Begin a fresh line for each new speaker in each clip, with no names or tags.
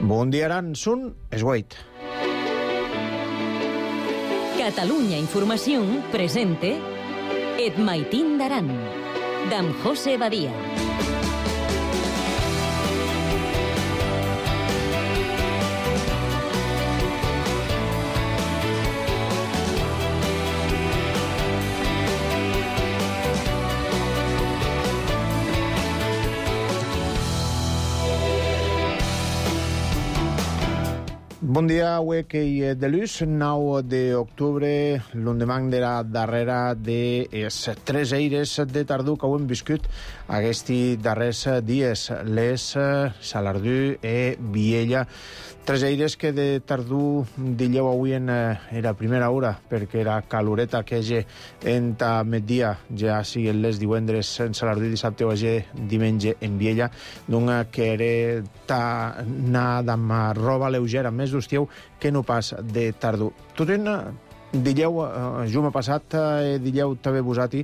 Bon dia, Aran. Són es 8.
Catalunya Informació presente Et Maitín d'Aran, d'en José Badia.
Bon dia, avui que hi ha de luz, 9 d'octubre, l'endemà de la darrera de les 3 eires de tardor que hem viscut aquests darrers dies, les Salardú i Viella. 3 eires que de tardor dilleu avui en la primera hora, perquè era caloreta que hi ha migdia, ja siguin les divendres en Salardú, dissabte o diumenge en Viella, doncs que era anar amb roba lleugera, més d'estiu que no pas de tardor. Tot en dilleu, jume passat, dilleu també vosati,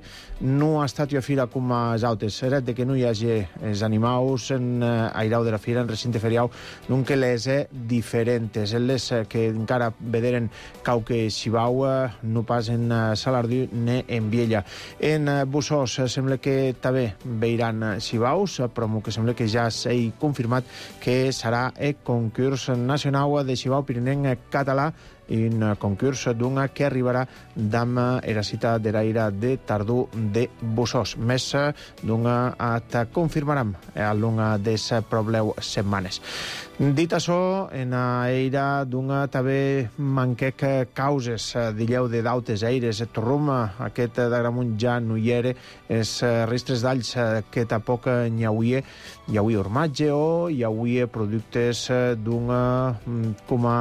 no ha estat jo a fira com els altres. Era de que no hi hagi els animals en airau de la fira, en recinte feriau, doncs que les diferents. Les que encara vederen cauque xibau, no pas en Salardú ni en Viella. En Bussós sembla que també veiran xibaus, però que sembla que ja s'ha confirmat que serà el concurs nacional de xibau pirinenc català, un concurs d'un que arribarà d'am la cita de l'aire de tardor de Bussós. Més d'un et confirmarem a l'una de les probleu setmanes. Dit això, en l'aire d'un també manquec causes, dilleu de dautes aires, torrum, aquest d'Agramunt ja no hi era, els restres d'alls que tampoc n'hi hauria, hi hauria formatge o hi hauria productes d'un com a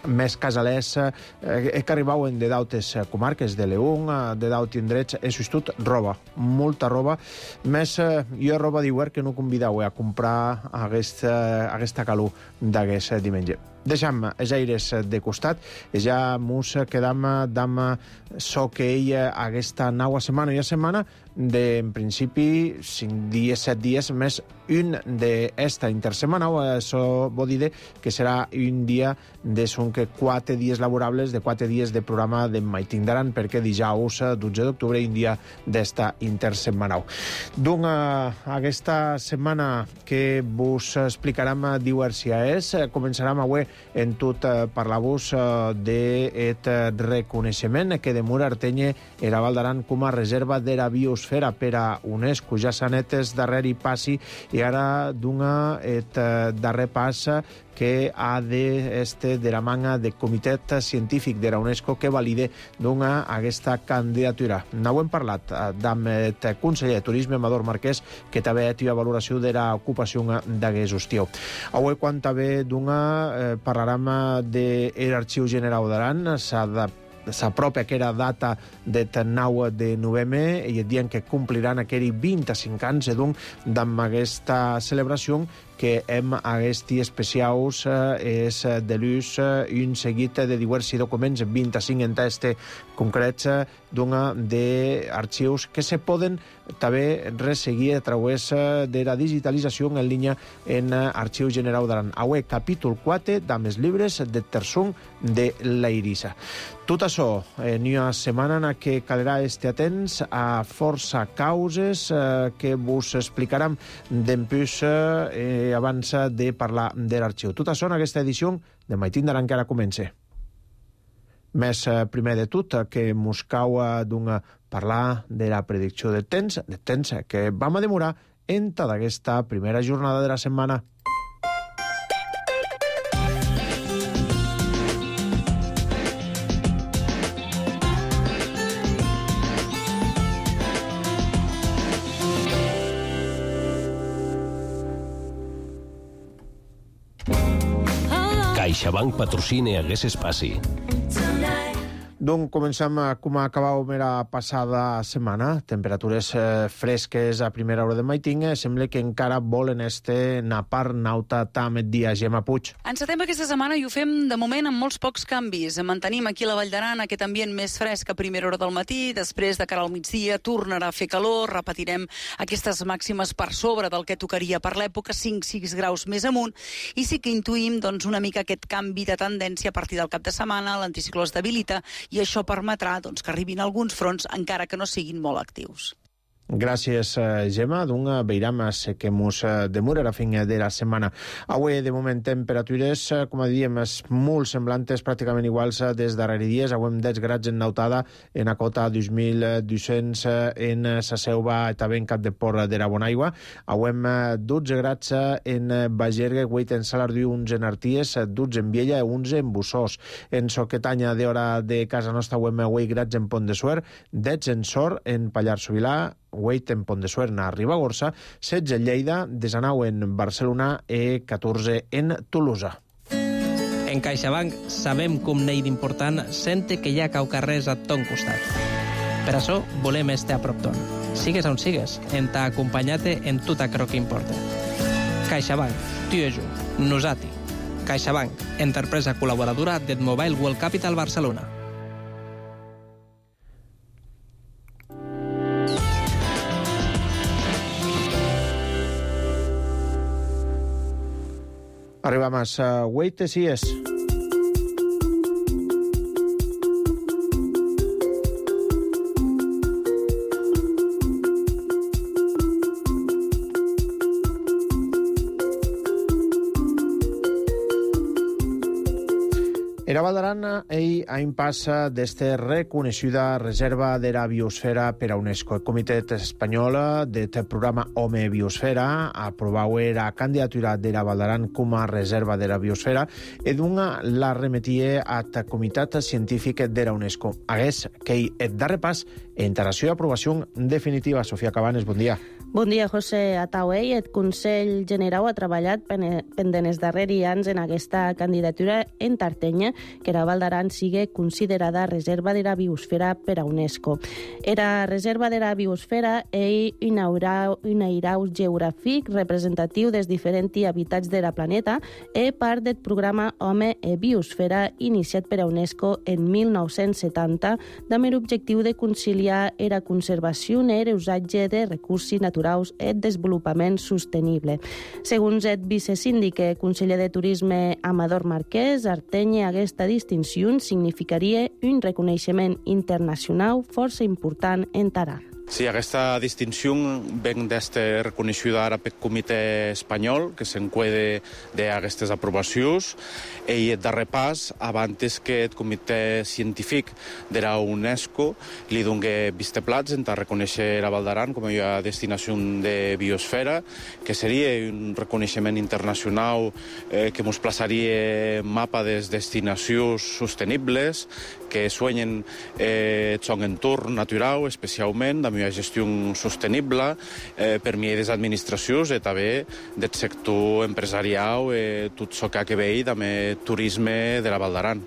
més casalers que arribaven de d'altres comarques, de León, de d'altres indrets, és tot roba, molta roba, més jo roba d'hivern que no convidau a comprar aquesta calor d'aquest diumenge. Deixem els aires de costat i ja mos quedam amb so que ella aquesta nova setmana i a setmana de, en principi, 5 dies, 7 dies, més un d'esta intersetmana, això vol dir que serà un dia de son que 4 dies laborables, de 4 dies de programa de Maitín d'Aran, perquè dijous, 12 d'octubre, un dia d'esta intersetmana. Doncs aquesta setmana que vos explicarem diversia és, començarem avui en tot parlar-vos d'aquest reconeixement que de Mur Artenye era Val d'Aran com a reserva de la biosfera per a UNESCO. Ja s'ha net el darrer passi i ara dona el darrer pas que ha de la manga del comitè científic de la UNESCO que valide dona aquesta candidatura. No hem parlat amb el conseller de Turisme, Amador Marquès, que també ha valoració de l'ocupació d'aquest estiu. Avui, quan també parlarem de l'Arxiu General d'Aran, s'apropa aquella data de 9 de novembre i et diuen que compliran aquells 25 anys d'amb aquesta celebració que hem aquests especials és de l'ús un seguit de diversos documents, 25 en test concrets d'arxius que se poden també resseguir a través de la digitalització en línia en Arxiu General d'Aran. Avui, capítol 4 d'amb els llibres de Tersum de l'Eirissa. Tot això, en una setmana en què caldrà estar atents a força causes que vos explicarem d'empús abans de parlar de l'arxiu. Tot això en aquesta edició de Maitín d'Aran que ara comença. Més primer de tot que mos cau parlar de la predicció de temps que vam a demorar en tota aquesta primera jornada de la setmana.
CaixaBank patrocina aquest espaci.
Doncs comencem com acabàvem la passada setmana. Temperatures fresques a primera hora de maiting. Sembla que encara volen napar nauta tam dia Gemma Puig.
Encetem aquesta setmana i ho fem de moment amb molts pocs canvis. Mantenim aquí a la Vall d'Aran aquest ambient més fresc a primera hora del matí. Després, de cara al migdia, tornarà a fer calor. Repetirem aquestes màximes per sobre del que tocaria per l'època, 5-6 graus més amunt. I sí que intuïm una mica aquest canvi de tendència a partir del cap de setmana. L'anticicló es debilita i això permetrà que arribin alguns fronts, encara que no siguin molt actius.
Gràcies, Gemma. Veiram que mos demora a fin de la setmana. Avui, de moment, temperatures, com diem, molt semblantes, pràcticament iguals des darrere dies. Avui 10 grads en Nautada, en Acota 2.200, en sa Selva i també en Cap de Porra de la Bonaigua. Avui 12 grads en Bagergue, 8 en Salardiu, 11 en Arties, 12 en Viella i 11 en Bussós. En Soquetanya, d'hora de casa nostra, avui 8 grads en Pont de Suert, 10 en Sor, en Pallars Sobirà, 8 en Pont de Suert, a Ribagorça, 16 en Lleida, 19 en Barcelona i 14 en Tolosa.
En CaixaBank sabem com n'hi d'important sente que hi ha caucarrers a ton costat. Per això volem estar a prop ton. Sigues on sigues, en t'ha acompanyat-te en tot aquello que importa. CaixaBank, tu i jo, nosati. CaixaBank, empresa col·laboradora del Mobile World Capital Barcelona.
Arribamos a Wait si és. Era Vall d'Aran ha impassa d'esta reconeixida reserva de la biosfera per a UNESCO. El Comitè Espanyol del programa Home Biosfera aprovau la candidatura de la Vall d'Aran com a reserva de la biosfera i la remetia al Comitè Científic de la UNESCO. Hagués que el darrer pas en integració i aprovació definitiva. Sofia Cabanes, bon dia.
Bon dia, José Atauey. El Consell Generau ha treballat pendent els darrers anys en aquesta candidatura en Tartenya, que la Vall d'Aran sigui considerada reserva de la biosfera per a UNESCO. Era reserva de la biosfera és un airau geogràfic representatiu dels diferents habitats de la planeta i part del programa Home e Biosfera iniciat per a UNESCO en 1970 amb l'objectiu de conciliar la conservació i l'usatge de recursos naturals i el desenvolupament sostenible. Segons el vicesíndic i conseller de Turisme Amador Marquès, Artenya aquesta distinció significaria un reconeixement internacional força important en Aran.
Sí, aquesta distinció ven d'este reconeguda ara pel Comitè Espanyol, que s'encuede d'aquestes aprovacions, i el darrer pas, abans que el Comitè Científic de la UNESCO li doni visteplats en reconèixer la Vall d'Aran com a destinació de biosfera, que seria un reconeixement internacional que ens plaçaria en mapa de destinacions sostenibles, que suenyen el seu entorn natural, especialment, amb una gestió sostenible per mi des administracions i també del sector empresarial i tot el que ha a veure amb el turisme de la Vall d'Aran.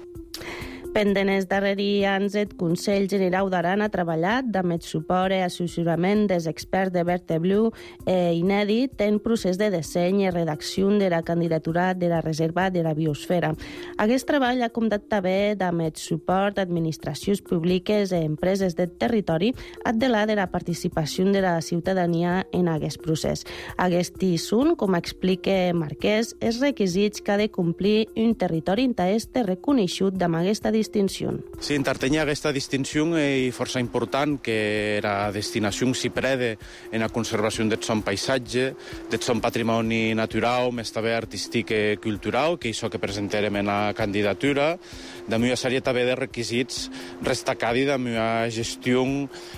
Pendent els darrers anys, el Consell Generau d'Aran ha treballat amb el suport i assessorament dels experts de Verteblu inèdit en procés de disseny i redacció de la candidatura de la reserva de la biosfera. Aquest treball ha comptat també amb el suport d'administracions públiques i empreses del territori addelar de la participació de la ciutadania en aquest procés. Aquests són, com explica Marquès, els requisits que ha de complir un territori interès reconegut amb aquesta distinció.
Sí, en Tartenya aquesta distinció és força important, que la destinació s'hi prede en la conservació del son paisatge, del son patrimoni natural, més també artístic i cultural, que és això que presentarem en la candidatura, de una sèrie també de requisits destacats de una gestió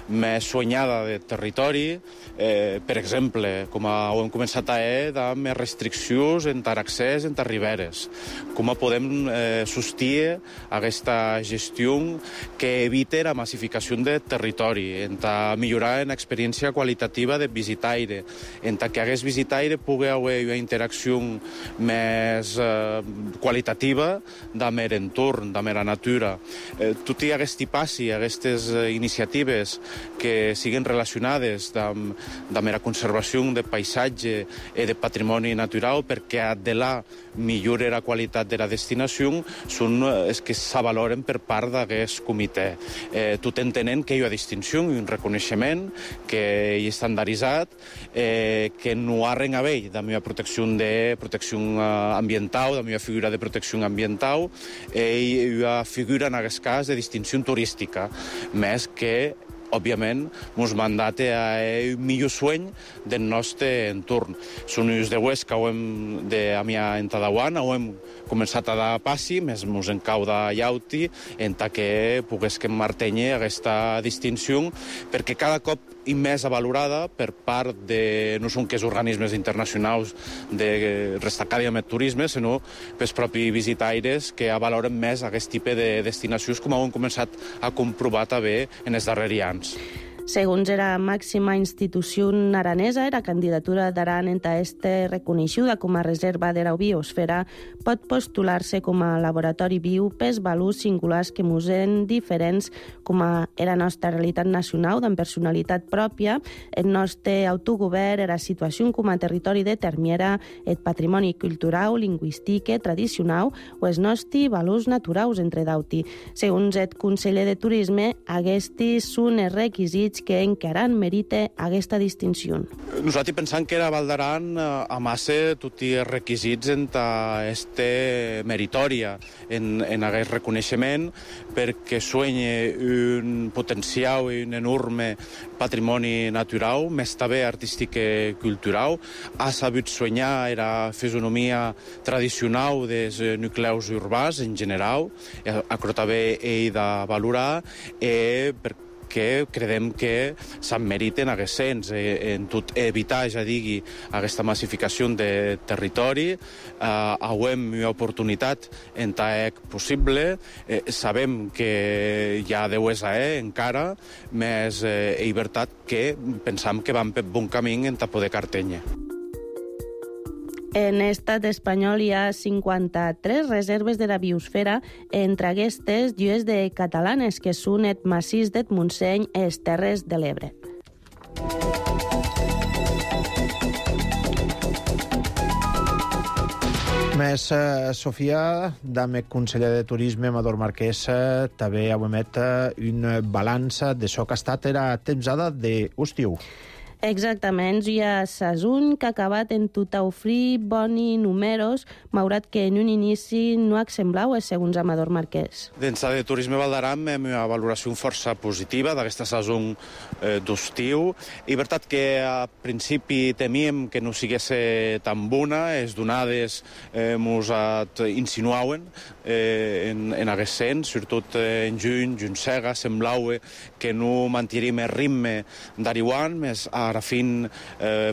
més soñada del territori, per exemple, com ho hem començat a de més restriccions en l'accés en les riberes, com podem sostir aquesta aquesta gestió que evite la massificació de territori, enta millorar l'experiència qualitativa de visitaire, enta que aquest visitaire pugui haver una interacció més qualitativa amb l'entorn, amb la natura. Tot i aquest passi, aquestes iniciatives que siguin relacionades amb la conservació de paisatge i de patrimoni natural, perquè de là millora la qualitat de la destinació, són els que s'avaloren per part d'aquest comitè. Tot entenent que hi ha distinció i un reconeixement que hi és estandarditzat, que no ha res a veure amb la protecció ambiental, amb la figura de protecció ambiental, i la figura, en aquest cas, de distinció turística, més que òbviament, ens mandata a un millor sueny del nostre entorn. Són uns de Huesca, ho hem de Amià en Tadauana, ho hem començat a dar passi, més ens encau de llauti, en que pogués que martenye aquesta distinció, perquè cada cop i més valorada per part de, no són que els organismes internacionals de destacada amb el turisme, sinó pels propis visitaires que valoren més aquest tipus de destinacions, com hem començat a comprovar també en els darrers anys.
Segons era màxima institució aranesa, la candidatura d'Aran enta este reconeixuda com a reserva de la biosfera pot postular-se com a laboratori viu pels valors singulars que musen diferents com a la nostra realitat nacional, amb personalitat pròpia, el nostre autogovern, la situació com a territori determinada, el patrimoni cultural, lingüístic, tradicional o els nostres valors naturals, entre d'altres. Segons el conseller de Turisme, aquests són els requisits que encara merita aquesta distinció.
Nosaltres pensam que la Val d'Aran amassa tots els requisits en este meritòria, en aquest reconeixement, perquè sueña un potencial i un enorme patrimoni natural, més també artístic i cultural, ha sabut soñar la fisonomia tradicional dels nucleus urbans en general, això també ell de valorar, perquè credem que se'n meriten aquests cens, en tot evitar, ja digui, aquesta massificació de territori. Hem una oportunitat en tant possible. Sabem que hi ha deues encara, més veritat que pensam que van per bon camí en poder cartenya.
En l'estat espanyol hi ha 53 reserves de la biosfera, entre aquestes llues de catalanes, que són el massís del Montseny i les Terres de l'Ebre.
Més, Sofia, dame conseller de Turisme, Amador Marquès, també heu emet un balanç de això que ha estat la temporada d'estiu.
Exactament, hi ha Sasun, que ha acabat en tot a ofrir boni números, malgrat que en un inici no semblau, segons Amador Marquès.
Dins de Turisme Val d'Aran hem una valoració força positiva d'aquesta Sasun d'estiu. I veritat que a principi temíem que no sigués tan bona, les donades ens insinuaven en aquest sens, sobretot en juny cega, semblau que no mantindríem el ritme d'Ariwan, més ara fin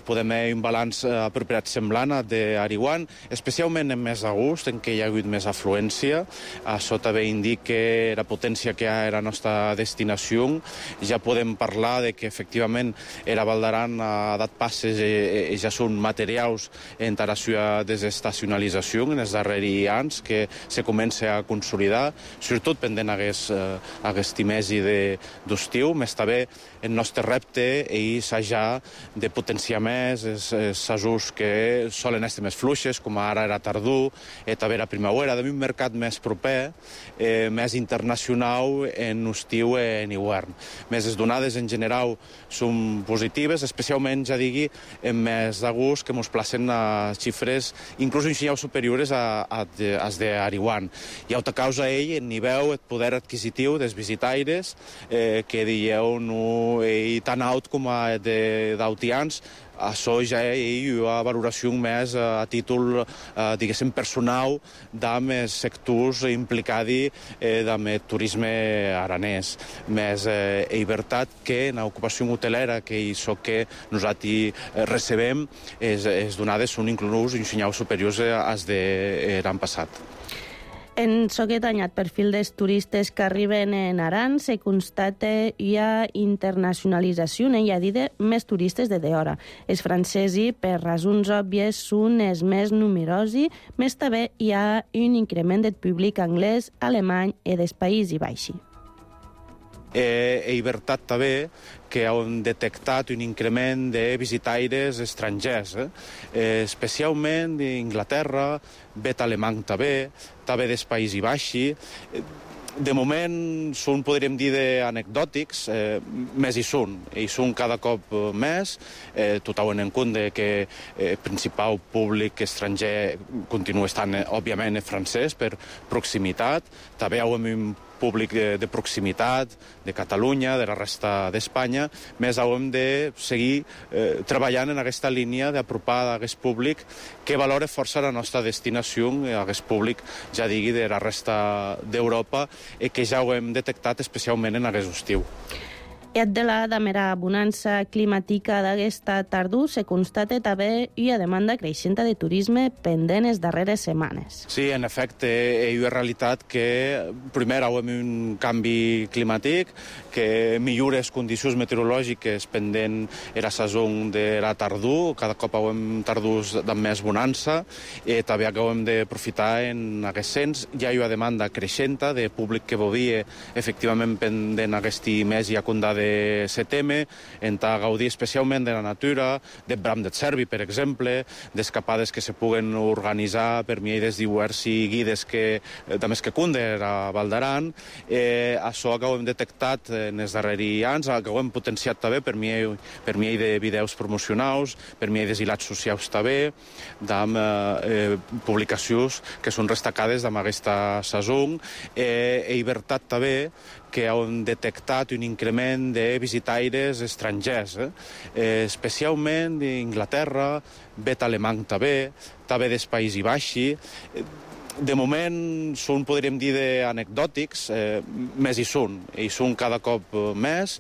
podem haver un balanç apropiat semblant d'Ariwan, especialment en mes d'agost, en què hi ha hagut més afluència. Això també indica la potència que hi ha a la nostra destinació. Ja podem parlar de que efectivament la Val d'Aran ha dat passes i ja són materials en la seva desestacionalització en els darrers anys, que se comença a consolidar, sobretot pendent aquest mesi d'estiu, més també el nostre repte és ja de potenciar més els assajos que solen estar més fluixes, com ara era tardor, també la primavera, d'un mercat més proper, més internacional en estiu i en hivern. Més les donades en general són positives, especialment, ja digui, en mes d'agost, que ens placen a xifres inclús un xineu superiors a les d'Ariwan. I a causa ell, el nivell, el poder adquisitiu dels visitaires, que dieu no tan alt com a d'altians, això ja hi ha una valoració més a títol, diguéssim, personal amb els sectors implicats amb el turisme aranès. Més és veritat que en l'ocupació hotelera, que és el que nosaltres recebem, les donades són inclús un senyal superiors als de l'any passat.
En aquest anyat perfil dels turistes que arriben en Aran se constata hi ha internacionalització, hi ha dit més turistes de d'hora. Els francesos, per raons òbvies, són els més numerosos, més també hi ha un increment del públic anglès, alemany i dels Països Baixos.
He veritat també que hem detectat un increment de visitaires estrangers, especialment d'Inglaterra, vet alemany també dels Països Baixos. De moment són, podríem dir, anecdòtics, més hi són cada cop més, tot en compte que el principal públic estranger continua estant, òbviament, francès per proximitat. També hi ha un públic de proximitat, de Catalunya, de la resta d'Espanya, més hem de seguir treballant en aquesta línia d'apropar a aquest públic que valora força la nostra destinació, a aquest públic, ja digui, de la resta d'Europa, i que ja ho hem detectat especialment en aquest estiu.
I de la damera bonança climàtica d'aquesta tardor se constata també una demanda creixent de turisme pendent les darreres setmanes.
Sí, en efecte, és una realitat que primer hi ha un canvi climàtic, que millora les condicions meteorològiques pendent la saó de la tardor, cada cop hi ha tardors de més bonança, i també hem d'aprofitar en aquest sens. Hi ha una demanda creixent de públic que volia efectivament pendent aquest mes i a condar de setembre, en gaudir especialment de la natura, del bram de cervi, per exemple, d'escapades que se puguen organitzar per mi dels diversos guides que també que cunden a Val d'Aran. Això que ho hem detectat en els darrers anys, que ho hem potenciat també per mi de vídeos promocionals, per mi de hilats socials també, amb publicacions que són destacades d'aquesta saison. I veritat també que han detectat un increment de visitaires estrangers, especialment d'Inglaterra, vet alemany també dels Països Baixos. De moment són, podríem dir, anecdòtics, més hi són cada cop més,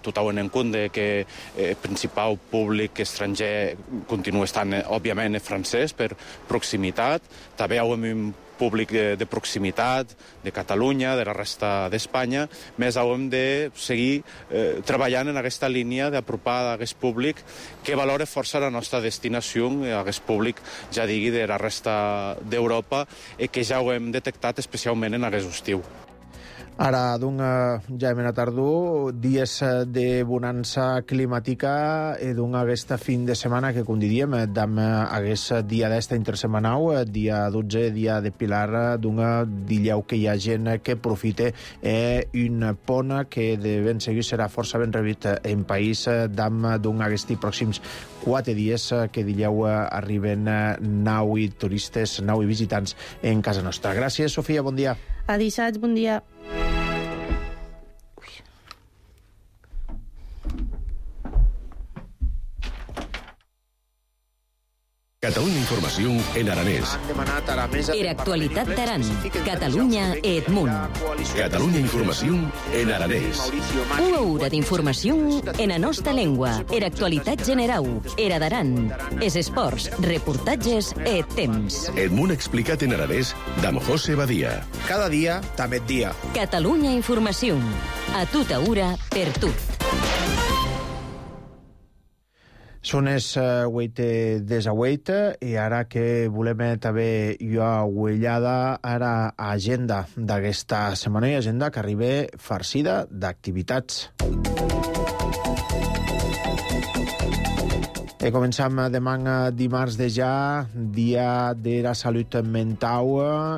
tot en compte que el principal públic estranger continua estant, òbviament, francès per proximitat. També hi ha un públic de proximitat, de Catalunya, de la resta d'Espanya, més hem de seguir treballant en aquesta línia d'apropar a aquest públic que valora força la nostra destinació, a aquest públic, ja digui, de la resta d'Europa, i que ja ho hem detectat especialment en aquest estiu.
Ara, ja hem anat tardor, dies de bonança climàtica i aquesta fin de setmana que, com diríem, aquest dia d'esta intersetmanal, dia 12, dia de Pilar, dilleu que hi ha gent que aprofita un pont que de ben seguir serà força ben rebut en país d'aquests pròxims 4 dies que dilleu arriben 9 turistes, 9 visitants en casa nostra. Gràcies, Sofia, bon dia.
A dissabte, bon dia.
Catalunya Informació en aranès.
Era actualitat d'Aran, Catalunya e Edmunt.
Catalunya Informació en aranès.
Una hora d'informació en la nostra llengua. Era actualitat general, era d'Aran. Es esports, reportatges e temps.
Edmunt explicat en aranès d'Am José Badia.
Cada dia, també dia.
Catalunya Informació. A tota hora, per tot.
Són les 8:18 i ara que volem també una ullada ara a agenda d'aquesta setmana i agenda que arriba farcida d'activitats. Començam demà dimarts de ja, dia de la salut mental,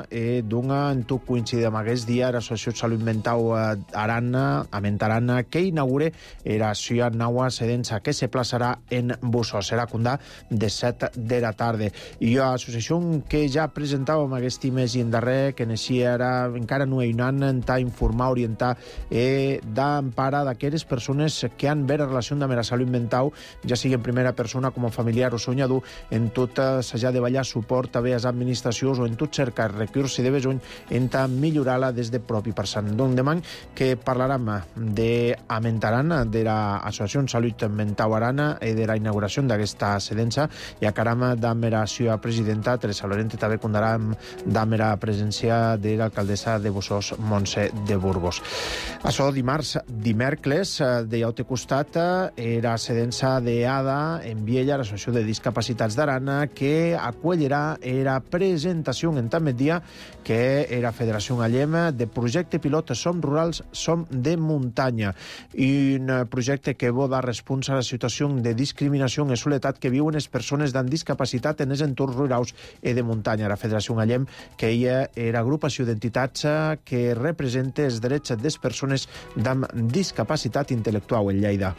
i en tot coincidir amb aquest dia l'Associació de Salut Mental Arana, que inaugura la Ciutat Nova Sedensa, que se plaçarà en Bussos. Serà condà de 7 de la tarda. I l'associació que ja presentàvem aquest mes i en darrer, que naixia ara, encara no hi han a informar, orientar d'empara d'aquelles persones que han ver relació amb la salut mental, ja sigui en primera persona persona com a familiar o sonhador en tot s'ha de ballar suport a les administracions o en tot cercar recursos de besoin en millorar-la des de propi person. Donc demà que parlarem d'Amentaran, de l'Associació de Salut Mental Arana i de la inauguració d'aquesta sedença i acaram amb la seva presidenta Teresa Lorente, també contarem amb la presència de l'alcaldessa de Bossós, Montse de Burgos. Això dimèrcles, de llaute costat, era sedença d'ADA en Viella, l'Associació de Discapacitats d'Arana, que acollirà la presentació en tant dia que era Federació Gallema de projecte pilot Som Rurals, Som de Muntanya, i un projecte que vol dar resposta a la situació de discriminació i soledat que viuen les persones amb discapacitat en els entorns rurals i de muntanya. La Federació Gallem, que ella era agrupació d'entitats que representa els drets de les persones amb discapacitat intel·lectual en Lleida.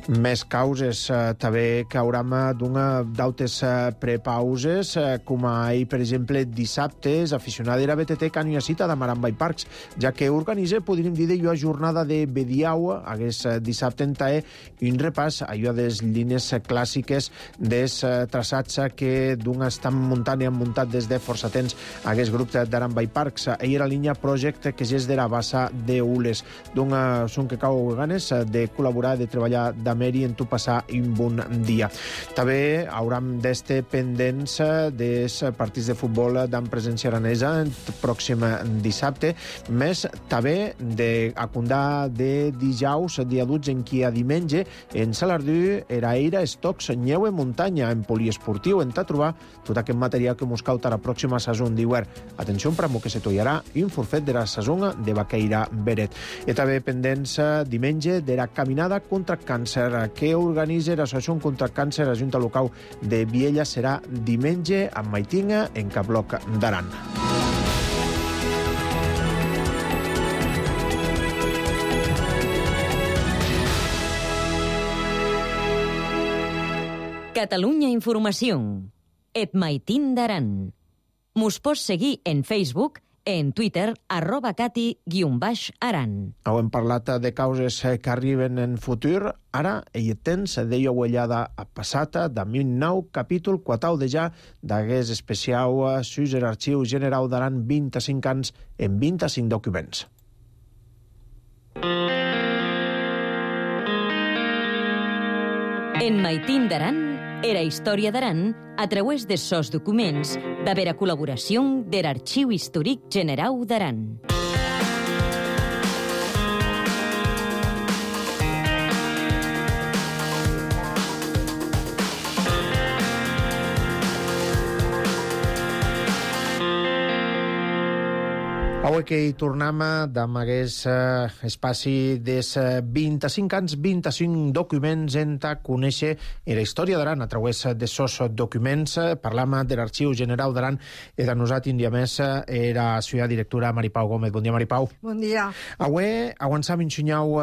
Més causes també que hauram d'altes prepauses, com ahir, per exemple, dissabte, els aficionats de la BTT que han una cita de Maramba i Parcs, ja que organitza, podríem dir, una jornada de Bediau, hagués dissabte en Taé, un repàs a les línies clàssiques dels traçats que d'un estan muntant i han muntat des de força temps aquest grup d'Aramba i Parcs. Ahir era la línia Project, que és de la bassa d'Ules. D'un són que cau ganes de col·laborar, de treballar i en tu passar un bon dia. També hauram d'estar pendents dels partits de futbol d'en presència aranesa el pròxim dissabte, més també d'acundar de dijous, dia 12, en qui a diumenge en Salardú era Eira Estocs Nyeu en muntanya, en poliesportiu, en trobar tot aquest material que mos cauta la pròxima saison d'hivern. Atenció, pramo que se tollarà un forfet de la saison de Baqueira Beret. I també pendents diumenge de la caminada contra càncer que organitza l'Associació contra Càncer a Junta Local de Viella. Serà diumenge a Maitinga, en Cabloc d'Aran.
Catalunya Informació. Et Maitín d'Aran. Mos pots seguir en Facebook, en Twitter, @cati_aran.
Hem parlat de causes que arriben en futur. Ara, ell tens deia uellada a passata de 2009, capítol 4 de ja d'aquest especial sus l'Arxiu General d'Aran 25 anys en 25 documents.
En Maitín d'Aran, era història d'Aran a través de sos documents de la col·laboració de l'Arxiu Històric General d'Aran.
Avui que hi tornem amb aquest espaci dels 25 anys, 25 documents en conèixer la història d'Aran a través de sos documents. Parlam de l'Arxiu General d'Aran i de nosaltres, un dia més, la seva directora Maripau Gómez. Bon dia, Maripau.
Bon dia.
Avui avançam ensenyau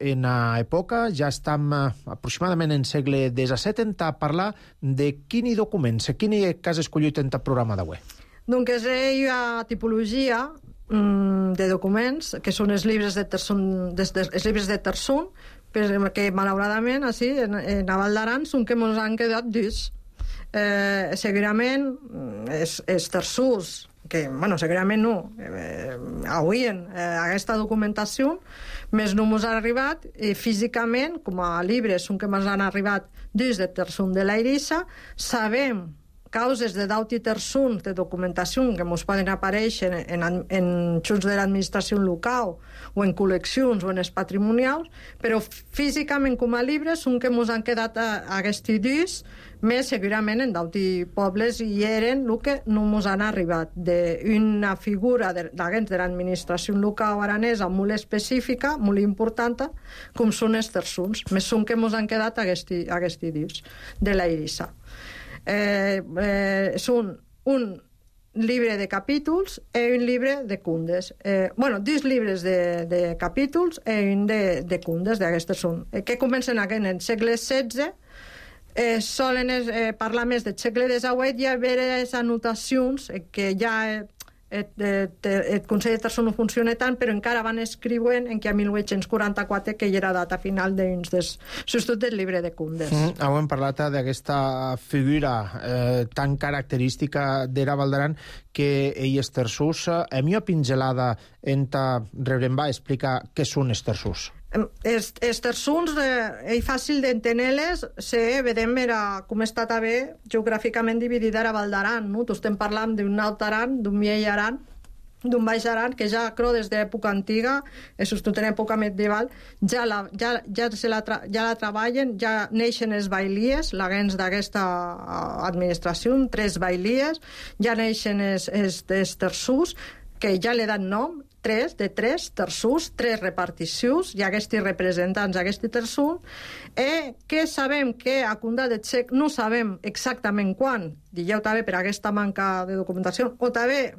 en època, ja estem aproximadament en segle XVII a parlar de quins documents, quin cas escollit en el programa d'avui.
Doncs és una tipologia de documents que són els llibres de Terçon, que malauradament així, en Val d'Aran són que ens han quedat durs. Segurament els terçons, que, bueno, segurament no, avui aquesta documentació més no ens ha arribat físicament, com a llibres són que ens han arribat dins de Terçon de la Eirissa. Sabem causes de daut i terçons de documentació que ens poden aparèixer en junts de l'administració local o en col·leccions o en els patrimonials, però físicament com a llibres són que ens han quedat aquests dies, més segurament en daut i pobles i eren el que no ens han arribat, d'una figura d'agents de l'administració local aranesa molt específica, molt important, com són els terçons, més són que ens han quedat aquests dies de la Eirissa. Són un llibre de capítols i un llibre de cundes. Dos llibres de capítols i un de cundes, d'aquestes són, que comencen en el segle XVI. Solen parlar més del segle XVIII i haver les anotacions que ja el Consell de Terçons no funciona tant, però encara van escriuen en que a 1844 que hi era data final dins del substitut del llibre de Cundes.
Hem parlat d'aquesta figura tan característica d'Era Baldaran que ell és terçús. A mi una pingelada en Rebrem va explicar què són els terçús.
Els terçons, és fàcil d'entendre-les, vedem com està també geogràficament dividida Era Baldaran, no? Tu estem parlant d'un alt Aran, d'un vell Aran, d'un baix Aran, que ja creu des d'època antiga, sobretot en època medieval, ja la treballen, ja neixen els bailies, la gens d'aquesta administració, 3 bailies, ja neixen els terços, que ja li dan nom, 3 terços, 3 reparticions, i aquests representants d'aquest terços, que sabem que a Condat de Xec no sabem exactament quan, digueu també per aquesta manca de documentació, o també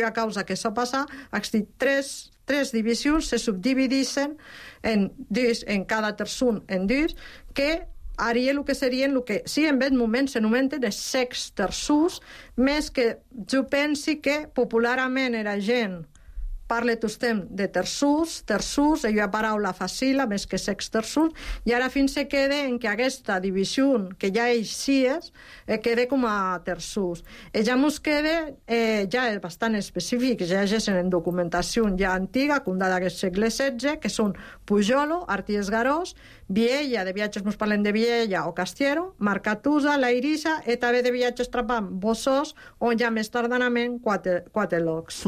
a causa que això passa, tres divisions se subdivideixen en cada terçon en dins, que haria el que serien el que sí en aquest moment s'anomenten els secs terços, més que jo pensi que popularment era gent parla tostem de terços, hi ha paraula facila més que secs terços, i ara fins se queda en que aquesta divisió que ja eixies queda com a terços. Ja mos queda ja bastant específic, ja llegeixen en documentació ja antiga, condada del segle XVI, que són Pujolo, Arties Garós, Viella, de viatges mos parlem de Viella o Castiero, Marcatusa, La Irissa, i també de viatges trapant Bossós, on ja més tardanament quatre locs.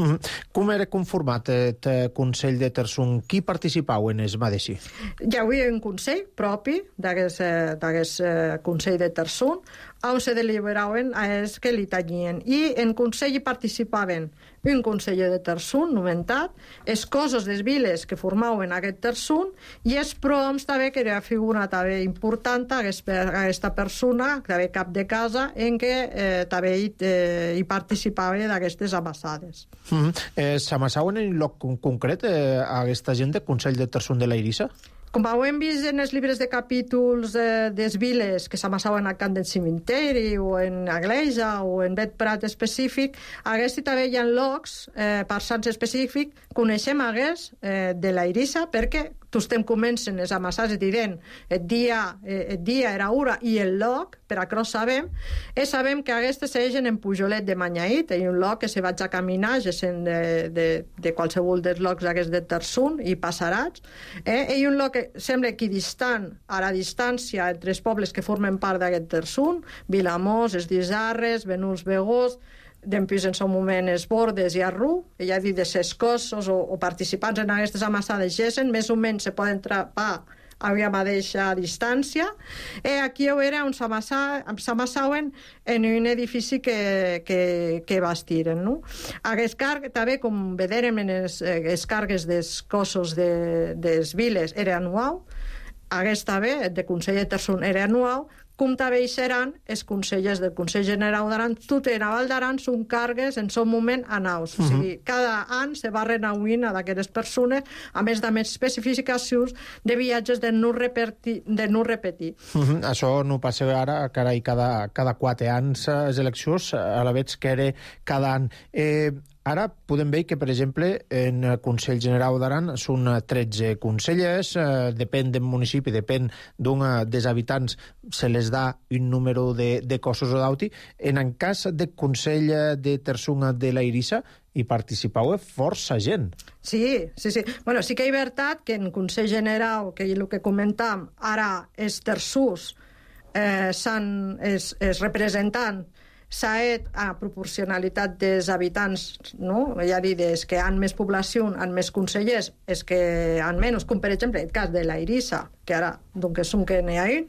Com era conformat el Consell de Terçon? Qui participava en es Madesi?
Hi havia un consell propi d'aquest Consell de Terçon, on se deliberaven els que li tenien. I en consell hi participaven un conseller de Terçon, nomentat, els cossos des viles que formaven aquest Terçon, i els proms també, que era figura també important, aquesta persona, també cap de casa, en què també hi participava d'aquestes amassades.
S'amassaven en un lloc concret aquesta gent del Consell de Terçon de la Irissa?
Com ho hem vist en els llibres de capítols des viles que s'amassaven al camp del cimenteri o en Agleja o en Bet Prat específic, hagués també hi ha llocs parsants específics, coneixem hagués de la Irissa, perquè tostem comencen les amassades i direm el dia era hora i el lloc, per això sabem, sabem que aquestes segueixen en Pujolet de Manyaït, hi ha un lloc que se vaig a caminar, gessin de qualsevol dels llocs d'aquests de Terçon i Passarats, hi ha un lloc que sembla equidistant a la distància entre els pobles que formen part d'aquest Terçon, Vilamós, es Disarres, Benuls Begós, d'empís en seu moment es Bordes i Arrú, ja dit de ses cossos o participants en aquestes amassades gessen, més o menys se poden trapar a la mateixa distància. Aquí era on s'amassaven en un edifici que bastiren. Aquest carg, també, com veurem en els cargues dels cossos dels viles, era anual. Aquest també, el de Consell de Terçon, era anual, com també hi seran els consellers del Consell General d'Aran, tot en Val d'Aran són cargues en seu moment anaus. O sigui, cada any se va renauint a d'aquestes persones, a més de més especificacions de viatges de no repetir.
Això no passa ara, carai, cada 4 anys les eleccions, a la vegada que era cada any. Ara podem veure que, per exemple, en el Consell General d'Aran són 13 consellers, depèn del municipi, depèn d'un dels habitants, se les da un número de cossos o d'auti. En el cas del Consell de Terçon de la Irissa, hi participau força gent.
Sí. Bueno, sí que hi ha veritat que en Consell General, que és el que comentàvem, ara els terços els representants s'ha a proporcionalitat dels habitants, no? Ja dit, els que han més població, han més consellers, els que han menys, com per exemple el cas de la Irissa, que ara doncs són que n'hi ha un.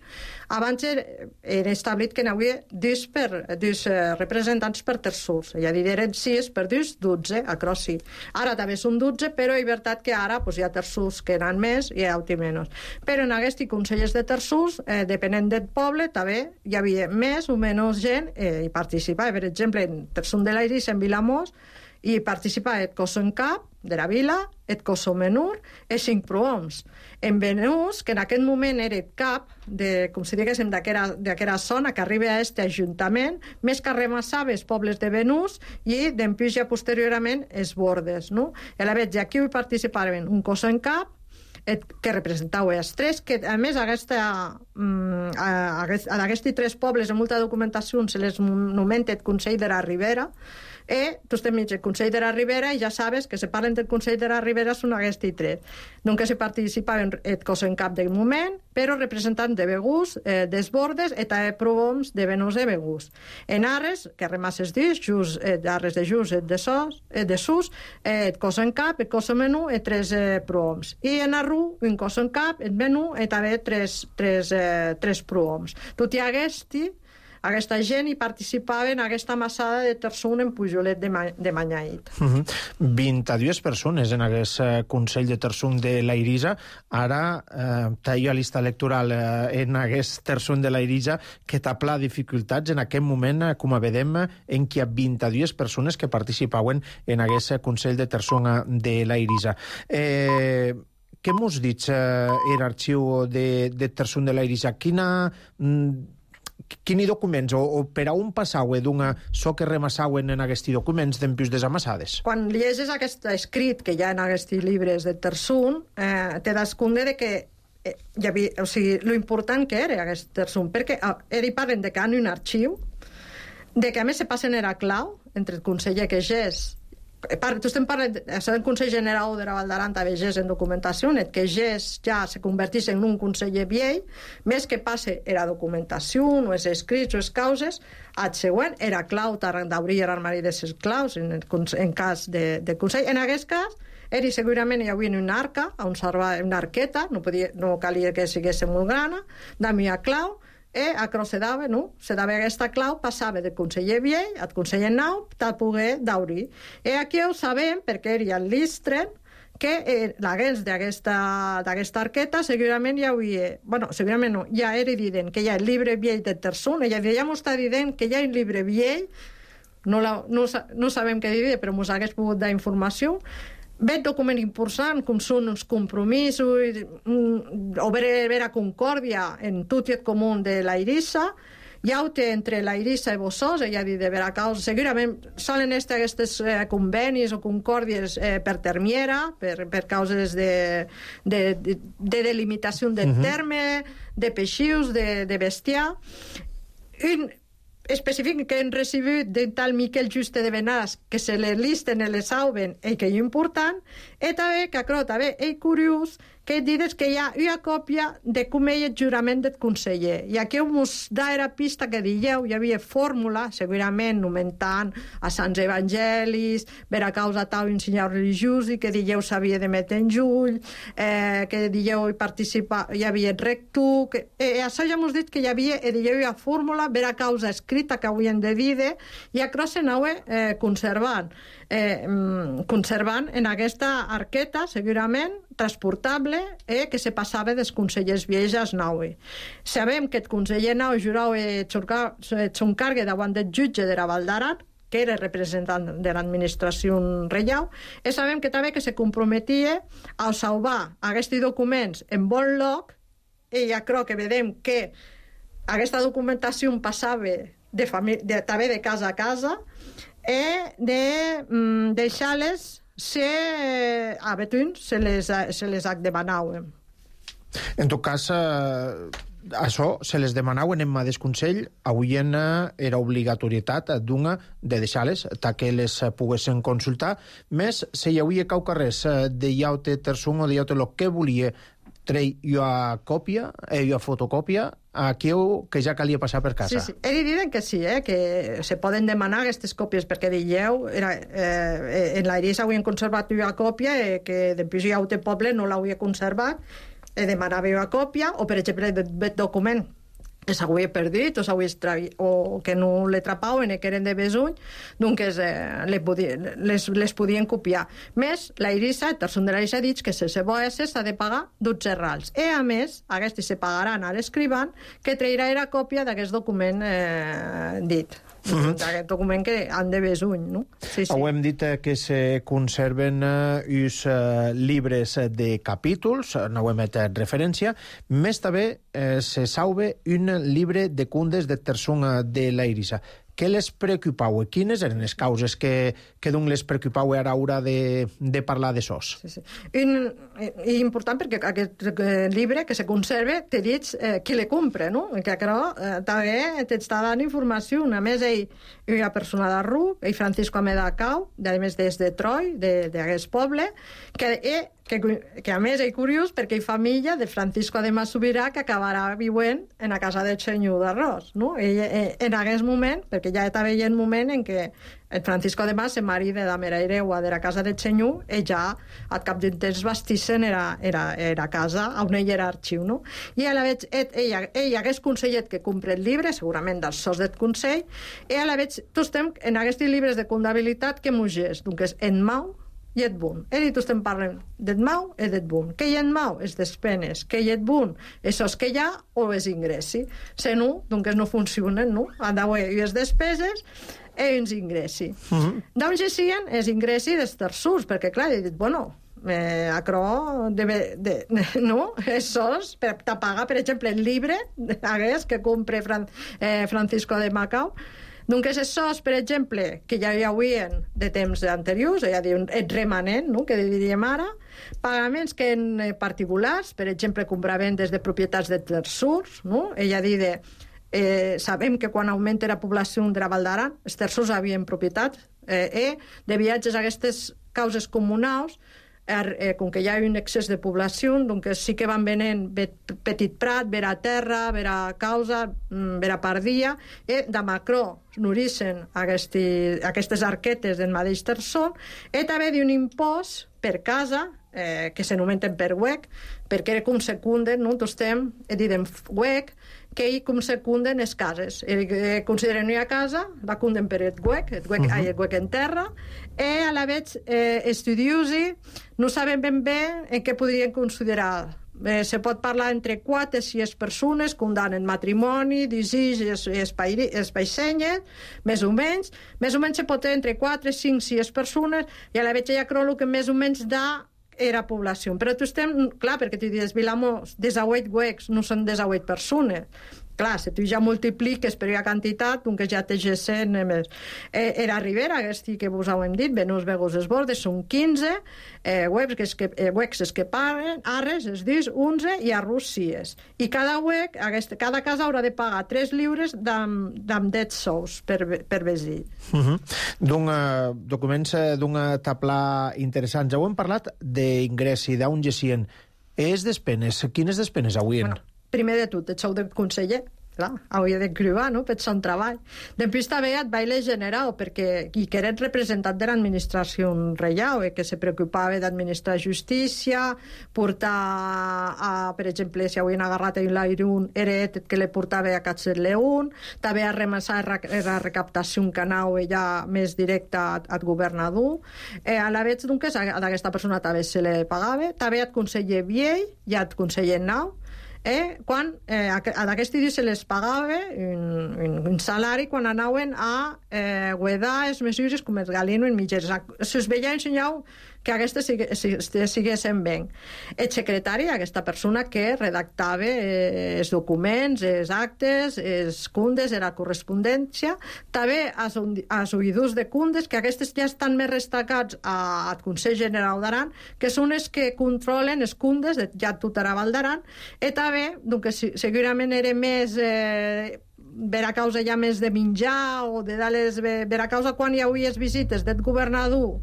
Abans era establit que n'hi havia dos representants per terços, ja dit, eren 6 per 2, 12, a Crossi. Ara també són 12, però és veritat que ara hi ha terços que n'han més i hi ha menys. Però en aquests consellers de terços, depenent del poble, també hi havia més o menys gent i participava. Per exemple, en Terçon de la Irissa, en Vilamós, i participava el cos en cap, de la vila, et Cosomenur, e 5 prohoms. En Benús, que en aquest moment era cap de, com si diguéssim, d'aquella zona que arriba a aquest ajuntament, més que remassava els pobles de Benús i d'empís ja posteriorment els bordes, no? I a la vegada, aquí hi participaven un cos en cap, que representava els tres, que a més a aquests tres pobles en molta documentació se les nomenta el Consell de la Ribera, tu estem mig el Consell de la Ribera i ja sabes que se parlen del Consell de la Ribera són aquests tres. Nunca se participaven el cos en cap del moment, però representant de Begús, dels bordes, i també prohoms de Benús de Begús. En Arres, que remasses dins, Arres de Jus, de Sus, el cos en cap, el cos en menú, i 3 prohoms. I en Arru, un cos en cap, el menú, i també 3 prohoms. Tot i aquesta gent hi participava en aquesta massada de Terçun en Pujolet de Manyait.
22 persones en aquest Consell de Terçun de l'Airisa. Ara talla llista electoral en aquest Terçun de l'Airisa que t'apla dificultats en aquest moment, com a vedem, en què hi ha 22 persones que participaven en aquest Consell de Terçun de l'Airisa. Què mos dits l'arxiu de Terçun de l'Airisa? Quini documents o per a on passauen d'una so que remassauen en aquests documents d'empius desamassades?
Quan llegeixes aquest escrit que hi ha en aquests llibres de Terçun, te das compte de que hi havia, o sigui, lo important que era aquest Terçun, perquè hi parlen de que han un arxiu, de que a més se passen era clau entre el conseller que gés. Tu estem parlant del Consell General de la Val d'Aran, també gés en documentació, que gés ja se convertís en un conseller viell, més que passe era documentació, o els escrits o les causes, el següent era clau d'obrir l'armari de les claus en cas de Consell. En aquest cas, segurament hi havia una arca, una arqueta, no calia que sigués molt grana, d'amia clau, se dava aquesta clau, passava del conseller viell al conseller nou per poder d'obrir. I aquí ho sabem perquè era el Listren, que l'agents d'aquesta arqueta segurament hi havia, segurament no, ja era evident que hi ha el llibre viell de Terçun, ja m'està dient que hi ha un llibre viell, no sabem què dir, però ens hagués pogut dar informació. Veig document important, com són els compromisos, o vera concòrdia en tot i el comú de l'Airissa, hi ha entre l'Airissa i Bossós, ja dit de vera causa, segurament solen aquests convenis o concòrdies per termiera, per causes de delimitació del terme, de peixius, de bestiar. Un específic que hem recibit del tal Miquel Juste de Benàs, que se les listen i les sauben, i que és important, i també, que també és curiós, que dius que hi ha una còpia de com és el jurament del conseller. I aquí us da la pista que dieu, hi havia fórmula, segurament nomentant a Sants Evangelis, per a causa tal un senyor religiós, i que dieu s'havia de metre en jull, que dieu hi havia rectu, això ja m'ho dit que hi havia, dieu una fórmula, per a causa escrita que havíem de dir, i això s'anava conservant en aquesta arqueta, segurament, transportable, que se passava dels consellers viells als naue. Sabem que el conseller nau jurava s'encarga davant del jutge de la Val d'Aran, que era representant de l'administració reial, i sabem que també que se comprometia a salvar aquests documents en bon lloc, i ja crec que vedem que aquesta documentació passava també de casa a casa, i de deixar-les a Betún se les demanaven.
En tot cas, això se les demanaven en mà del Consell, avui era obligatorietat d'una de deixar-les, que les poguessin consultar, més si hi havia res de llaute Terçun o de llaute el que volia treure una còpia, una fotocòpia, aquí que ja calia passar per casa.
Sí. Ells diuen que sí, que se poden demanar aquestes còpies, perquè dieu, en l'Airissa havien conservat una còpia, que després hi ha un poble no l'havia conservat, demanava una còpia, o per exemple, el document que s'havia perdut o que no l'atrapaven i que eren de besuny, doncs les podien copiar. Més, l'Airissa, el Terçun de l'Airissa, ha dit que si se vol s'ha de pagar 12 rals. I a més, aquests se pagaran a l'escrivant que trairà la còpia d'aquest document dit. d'aquest document que han de besuny, no? Sí.
Ho hem dit que se conserven uns llibres de capítols, no ho hem fet referència, més també se sauve un llibre de cundes de Tersum de la Irisa. Què les preocupau? Quines eren les causes que doncs les preocupau ara a l'hora de parlar de sos?
Sí. I important perquè aquest llibre que se conserva te dius qui le compra, no? Que també t'està dant informació. A més, ell hi ha persona de Ruc, ell Francisco Amedacau, a més des de Troi, d'aquest poble, que a més és curiós perquè hi família de Francisco de Masubirà que acabarà viuent en la casa del senyor d'Arròs, no? Ell, en aquest moment, perquè ja estava en moment en què el Francisco de Mas, el marit de la mera hereua de la casa del senyor, ell ja al cap d'un temps bastissen era casa on ell era arxiu, no? I a la vegada ell hagués consellet que compre el llibre, segurament dels sols del Consell, i a la vegada tots estem en aquests llibres de comptabilitat que mugés, doncs en Mau i et bun. He dit, estem parlant d'et mau i d'et bun. Que hi et mau és despenes, que hi et bun és sos que hi ha o és ingressi. Se no, doncs no funcionen, no? Han d'haver les despeses i uns ingressi. D'on gesien és ingressi dels terços, perquè clar, he dit, bueno, acro no, és sos per pagar, per exemple, el llibre que compre Francisco de Macau. Donc, és sos, per exemple, que ja hi havien de temps anteriors, ja diuen, et remanent, no?, que diríem ara, pagaments que en particulars, per exemple, compraventes de propietats de terços, no? Ella diu sabem que quan augmenta la població de la Val d'Aran, els terços havien propietat, de viatges a aquestes causes comunals, com que hi ha un excés de població, doncs sí que van venent Petit Prat, vera terra, vera causa, vera pardia, i de Macró n'orissen aquestes arquetes del mateix terçó, i també d'un impost per casa, que s'anomenten per WEC, perquè era com secunden, no? Tots estem, diem WEC, que hi com secunden les cases. Consideren una casa, la cunden per el WEC en terra, i a la vegada estudiosi no saben ben bé en què podrien considerar. Se pot parlar entre 4 i 6 persones, condamnen matrimoni, disís i espaixenyes, més o menys. Més o menys se pot entre 4, 5, 6 persones, i a la vegada ja creu que més o menys era població. Però tu estem, clar, perquè tu dius, Vilamós, 18 WECs no són 18 persones. Clar, si tu ja multipliques per una quantitat, doncs ja té GSN més. Era Ribera, aquest que vos ho hem dit, Venus Vegos es Bordes, són 15, WECs que paguen, Arres es dius 11 i Arrús 6. I cada WEC, cada casa haurà de pagar 3 lliures amb 10 sous per vestir.
Documents d'una tabla interessant. Ja ho hem parlat d'ingressi, d'on gessien. És despenes. Quines despenes avui?
Primer de tot, el sou de conseller, clar, hauria de cribar, no?, per ser un treball. Després també et vaig generar, perquè que era representant de l'administració reial, que se preocupava d'administrar justícia, portar, per exemple, si havien agarrat a l'Airun, era que le portava a Catzer León, també a remassar la recaptació que anava ja més directa al governador. A la vegada, doncs, a aquesta persona també se le pagava, també al conseller Viell i al conseller Nau, quan a d'aquest dia se les pagava un salari quan anaven a guardar les mesures com els Galino en mitgeres. Se us veia ensenyar que aquestes siguessin bé. El secretari, aquesta persona que redactava els documents, els actes, els cundes, la correspondència, també els oïdors de cundes, que aquestes ja estan més destacats al Consell General d'Aran, que són els que controlen els cundes de ja tota la Val d'Aran, i també, doncs, segurament era més ver a causa ja més de menjar o de ver a causa quan hi havia les visites del governador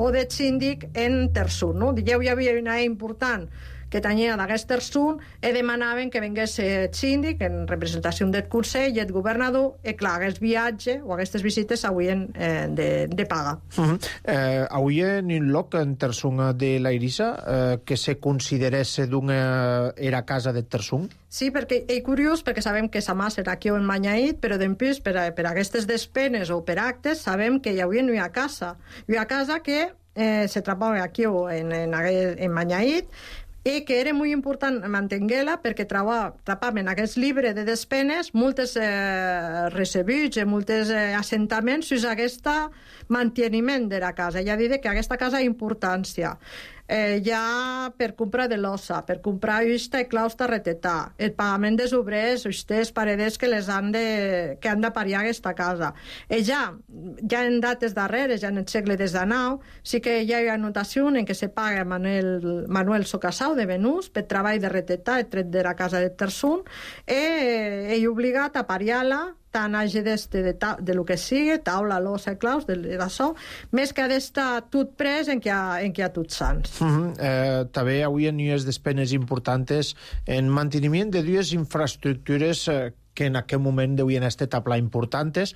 o del síndic en Tersum, no? Ja hi havia una important que tenia d'aquest Tersum i demanaven que vingués el síndic en representació del Consell i el governador, i clar, aquest viatge o aquestes visites s'haurien de pagar.
Avui en un lloc en Tersum de la Irisa que se considerés era casa de Tersum?
Sí, perquè és curiós, perquè sabem que sa mà serà aquí o en Manyaït, però després, per aquestes despenes o per actes, sabem que hi havia una casa que se trobava aquí o en Manyaït, i que era molt important mantenir-la perquè trapaven aquest llibre de despenes moltes recebuts i moltes assentaments fins a aquest manteniment de la casa. Ja diré que aquesta casa ha importància. Ja per comprar de l'ossa, per comprar usta i clausta retetà, el pagament dels obrers, ustes, pareders que han de pariar aquesta casa. Ja en dates darreres, ja en el segle XIX, sí que hi ha anotació en què se paga Manuel Socasau de Venús per treball de retetà tret de la casa de Tersun i ell obligat a pariar-la tant hagi de lo que sigui, taula, losa, claus, d'això, més que ha d'estar tot pres en què hi ha tots sants.
També avui hi ha despenes importants en manteniment de dues infraestructures que en aquest moment deuen estar taplar importants,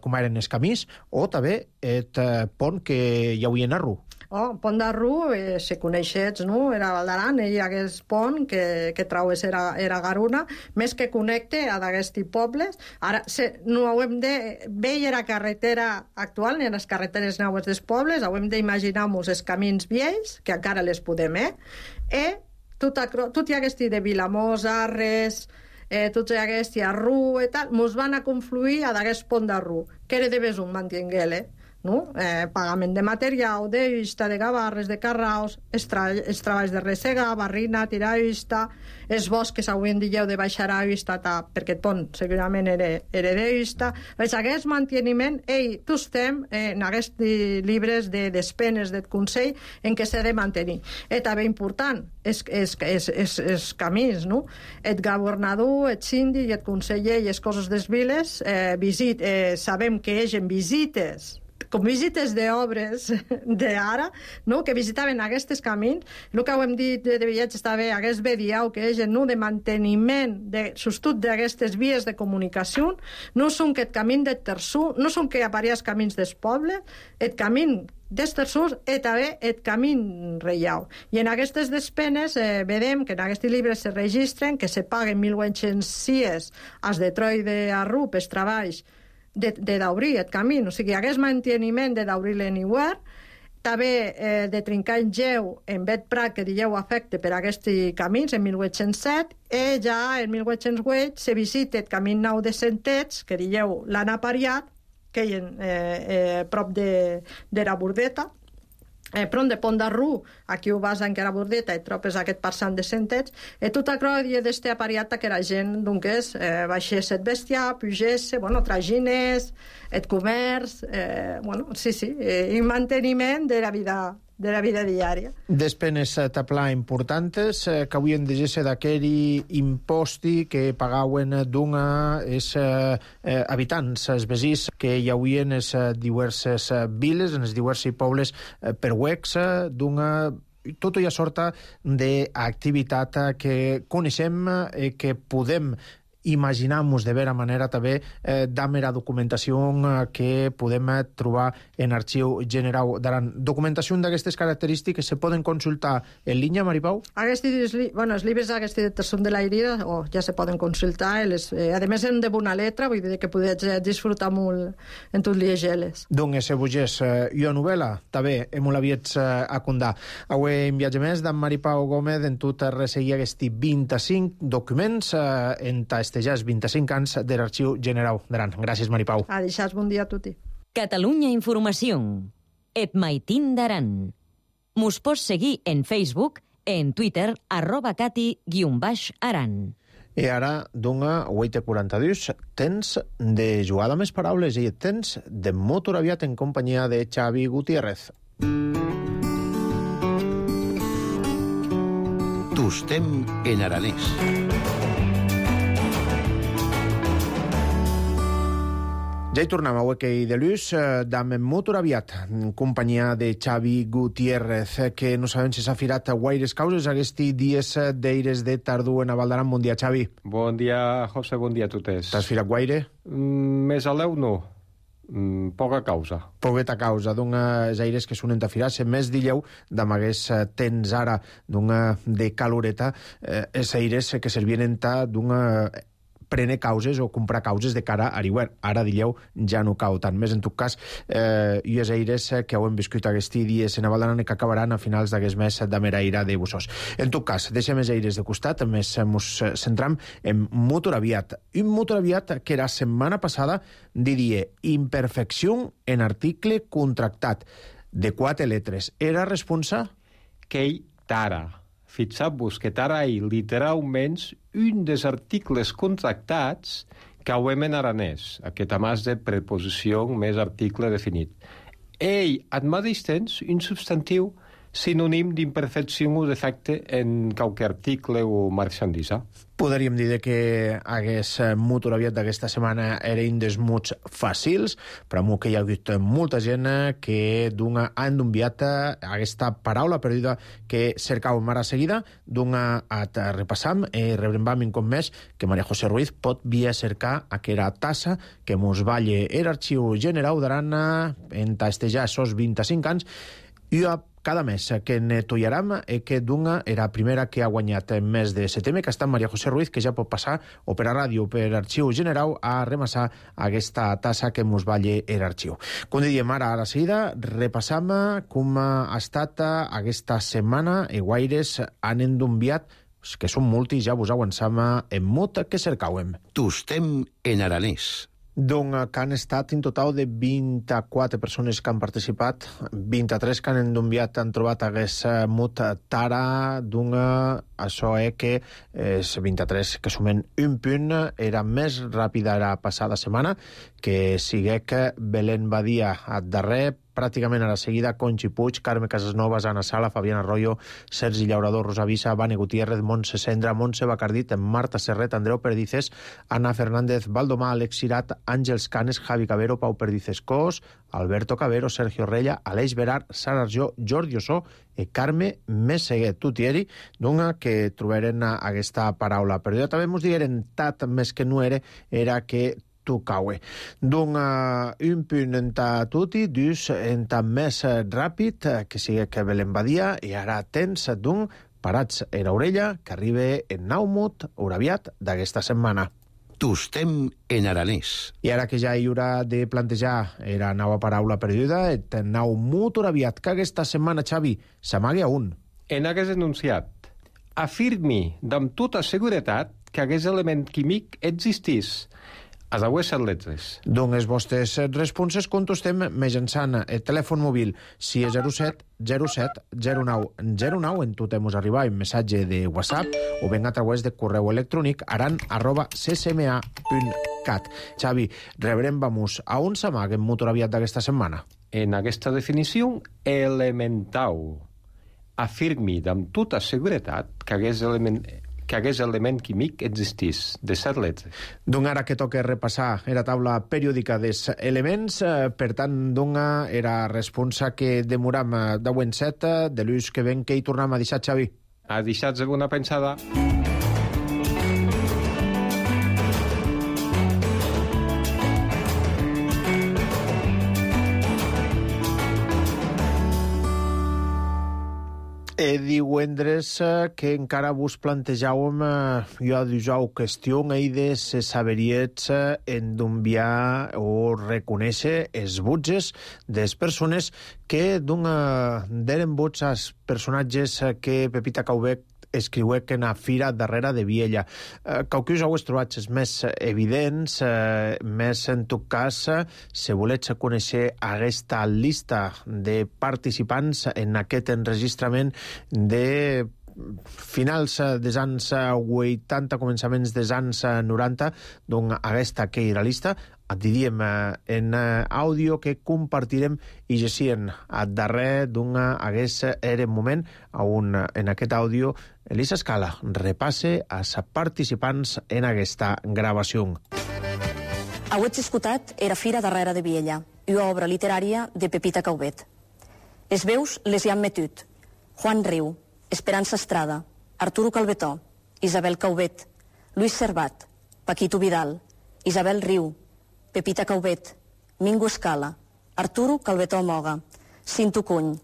com eren els camins, o també el pont que hi havia a Rú.
Pont de Rú, se coneixets, no? Era Val d'Aran, hi ha aquest pont que traues era Garuna, més que connecte a d'aquests pobles. Ara, no ho hem de veure la carretera actual, ni les carreteres noves dels pobles, ho hem d'imaginar-nos els camins vells, que encara les podem, tot hi ha aquest de Vilamós, Arres, tots aquests, a Rú i tal, mos van a confluir a d'aquest pont de Rú, que era de Besum, mantinguer-le. No? Pagament de material, de usta, de gavarres, de carraus, els treballs de ressegar, barrina, tirar usta, els boscs avui en dia de baixar a usta, perquè el pont segurament era de usta. Aquest manteniment, tots estem en aquests llibres de despenes del Consell en què s'ha de mantenir. I també important, els camins, no? El governador, el síndic, el conseller i les coses des viles, sabem que hi ha visites, com visites d'obres d'ara, no? Que visitaven aquests camins. El que ho hem dit de viatge està bé, aquest vediau que és de manteniment, sostut d'aquestes vies de comunicació, no són que el camí de Terçú, no són que apareix camins del poble, el camí dels Terçús i també el camí reial. I en aquestes despenes vedem que en aquests llibres se registren que se paguen 1.800 als de Troi de Arrú pels treballs de d'obrir el camí, o sigui, aquest manteniment de d'obrir l'Anywhere, també de trencar en Geu en Bet Prat, que dieu afecte per aquests camins en 1807, i ja en 1808 se visita el camí nou de Centets, que dieu l'han apariat, que hi ha prop de la Bordeta, prop de Pont de Rú, aquí ho vas encara a Bordeta i trobes aquest passant de Centets, i tot això d'este apariat que la gent, doncs, baixés el bestiar, pugés, tragines, el comerç, i manteniment de la vida diària.
Despenes taplar importants que avui en deixar d'aquell imposti que pagaven d'una els habitants, els veïns que hi havia en les diverses viles, en els diversos pobles per Uex, d'una tota una sorta d'activitat que coneixem i que podem imaginar-nos de vera manera també d'amb la documentació que podem trobar en Arxiu General d'Aran. Documentació d'aquestes característiques se poden consultar en línia, Maripau?
Els llibres d'aquests de Terçum de l'Airida ja se poden consultar, a més en de bona letra, vull dir que podeu disfrutar molt en tot llegir-les.
Doncs se vogés jo novel·la, també, hem l'aviets a condar. Avui en viatge més d'en Maripau Gómez en tot resseguir aquests 25 documents en festejar 25 anys de l'Arxiu General d'Aran. Gràcies, Maripau.
A deixar bon dia a tutti.
Catalunya Informació. Et maitin d'Aran. Mos pots seguir en Facebook, en Twitter, @cati_aran.
I ara, d'una 8:42, temps de jugada més paraules i temps de motor aviat en companyia de Xavi Gutiérrez.
Tostem en aranès.
Ja hi tornem a Huequei de Luz, d'Am Motor Aviat, en companyia de Xavi Gutiérrez, que no sabem si s'ha firat a guaires causes aquests dies d'aires de tardor en Val d'Aran. Bon dia, Xavi.
Bon dia, José, bon dia a totes.
T'has firat guaire?
Més a l'eu, no. Poca causa.
Poqueta causa, d'uns aires que sonen a firar-se. Més dilleu, d'amagués temps ara d'una de caloreta, els aires que servien d'una prendre causes o comprar causes de cara a Ariwer. Ara, dieu, ja no cau tant. Més, en tot cas, i els aires que heu viscut aquests dies en Avaldaran i que acabaran a finals d'aquest mes de Meraïra de Bussós. En tot cas, deixem els aires de costat, més ens centram en Motoraviat. Un Motoraviat que la setmana passada diria imperfecció en article contractat de 4 letres. Era responsable?
Qu'ei tara. Fixeu-vos que tara hi literalment un dels articles contractats que hauem en aranès, aquest amàs de preposició més article definit. Ei, al mateix temps, un substantiu sinònim d'imperfecció o defecte en qualque article o marchandisa.
Podríem dir que aquest Motoraviat d'aquesta setmana era un dels mots fàcils, però que hi ha hagut molta gent que han enviat aquesta paraula perduda que cercàvem ara seguida, et repassam i rebrem un cop més que Maria José Ruiz pot via cercar aquella tassa que mos valle l'arxiu general d'Aran en tastejar esos 25 anys i cada mes que netollarem que era la primera que ha guanyat en mes de setembre, que està Maria José Ruiz, que ja pot passar o per a ràdio o per arxiu general a remassar aquesta tassa que mos valle l'arxiu. Com diem ara a la seguida, repassam com ha estat aquesta setmana i guaires han enviat, que són multis, ja vos avançam en mut que cercàvem.
Tostem en aranès.
Que han estat en total de 24 persones que han participat, 23 que han enviat, han trobat aquest mut tara, això que és 23 que sumen un punt, era més ràpida la passada setmana, que sigué que Belén Badia a darrer, pràcticament a la seguida, Conchi Puig, Carme Casasnovas, Ana Sala, Fabián Arroyo, Sergi Llaurador, Rosa Visa, Vane Gutiérrez, Montse Cendra, Montse Bacardit, Marta Serret, Andreu Perdices, Ana Fernández, Valdomà, Alex Sirat, Àngels Canes, Javi Cabero, Pau Perdices Cos, Alberto Cabero, Sergio Rella, Aleix Berar, Sara Arjó, Jordi Ossó i Carme Messeguet Tutieri, que trobaren aquesta paraula. Però jo també mos digueren tat més que no era que tocaue. Un punt en tutti, dus en més ràpid, que sigui que Belén Badia, i ara tens parats a l'orella, que arriba en Naumut, Motoraviat d'aquesta setmana.
Tostem en aranès.
I ara que ja hi haurà de plantejar la nova paraula perduda, et nau Motoraviat, que aquesta setmana, Xavi, s'amague a un.
En aquest enunciat, afirmi amb tota seguretat que aquest element químic existís. A les 7 letres.
Les vostres responses contestem mitjançant el telèfon mòbil 607 07 09 09. En tot mos arribar un missatge de WhatsApp o ben a través de correu electrònic aran@ccma.cat. Xavi, rebrem a on s'amaga en Motoraviat d'aquesta setmana?
En aquesta definició, elemental. Afirmi amb tota seguretat que aquest element químic existís, de 7 letres.
Ara que toca repassar la taula periòdica dels elements, per tant, era responsa que demoram de Wenset, de l'ús que ven que hi tornem a deixar, Xavi.
A deixar alguna pensada.
Divendres que encara vos plantejàvem jo dijous qüestió de se saberiets en d'enviar o reconèixer els butges des persones que deren vots als personatges que Pepita Caubet escriué que en a fira darrere de Viella. Qualcus heu trobat els més evidents, més en tot cas, si volets conèixer aquesta llista de participants en aquest enregistrament de finals dels anys 80, començaments dels anys 90, aquesta que era llista, et diríem en àudio que compartirem i gessien a darrer hagués era moment on en aquest àudio Elisa Escala repasse als participants en aquesta gravació.
Auets escutat era fira darrere de Viella, una obra literària de Pepita Caubet. Es veus les hi han metut. Juan Riu, Esperança Estrada, Arturo Calvetó, Isabel Caubet, Luis Servat, Paquito Vidal, Isabel Riu, Pepita Caubet, Mingo Escala, Arturo Calvetó Moga, Cinto Cuny,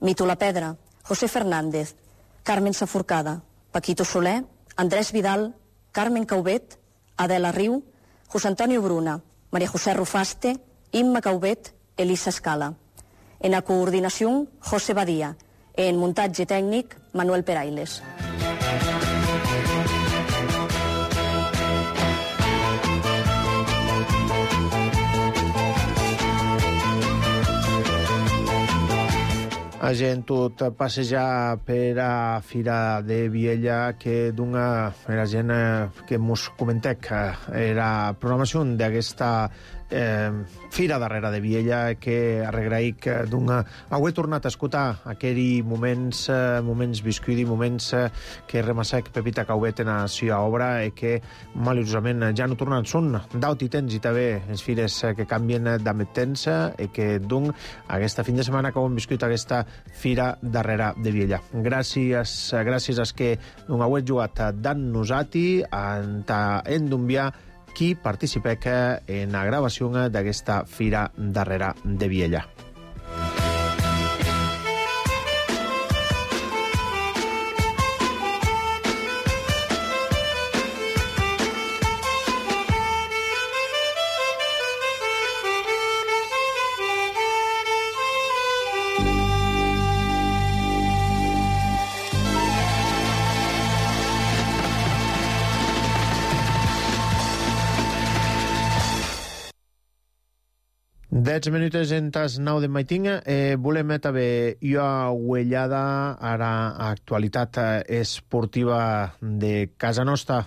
Mito La Pedra, José Fernández, Carmen Saforcada, Paquito Soler, Andrés Vidal, Carmen Caubet, Adela Riu, José Antonio Bruna, María José Rufaste, Imma Caubet, Elisa Escala. En la coordinació, José Badía. En muntatge tècnic, Manuel Perailes.
A gent tot passejar per a Fira de Viella, que dona la gent que mos comentec era programació d'aquesta Fira darrere de Viella, que arregraic dona he tornat a escoltar aquells moments viscuts, moments que remassec Pepita Caubet en la seva obra i que maliciosament ja no tornen. Són d'aut i temps i també les fires que canvien d'amet temps i que d'un aquesta fin de setmana que hem viscut aquesta Fira darrere de Viella. Gràcies als que no heu jugat d'en nosati en d'enviar qui participec en la gravació d'aquesta Fira darrere de Viella. Dets minuts en tas 9 de maitinga. Volem també jo uellada a l'actualitat esportiva de casa nostra.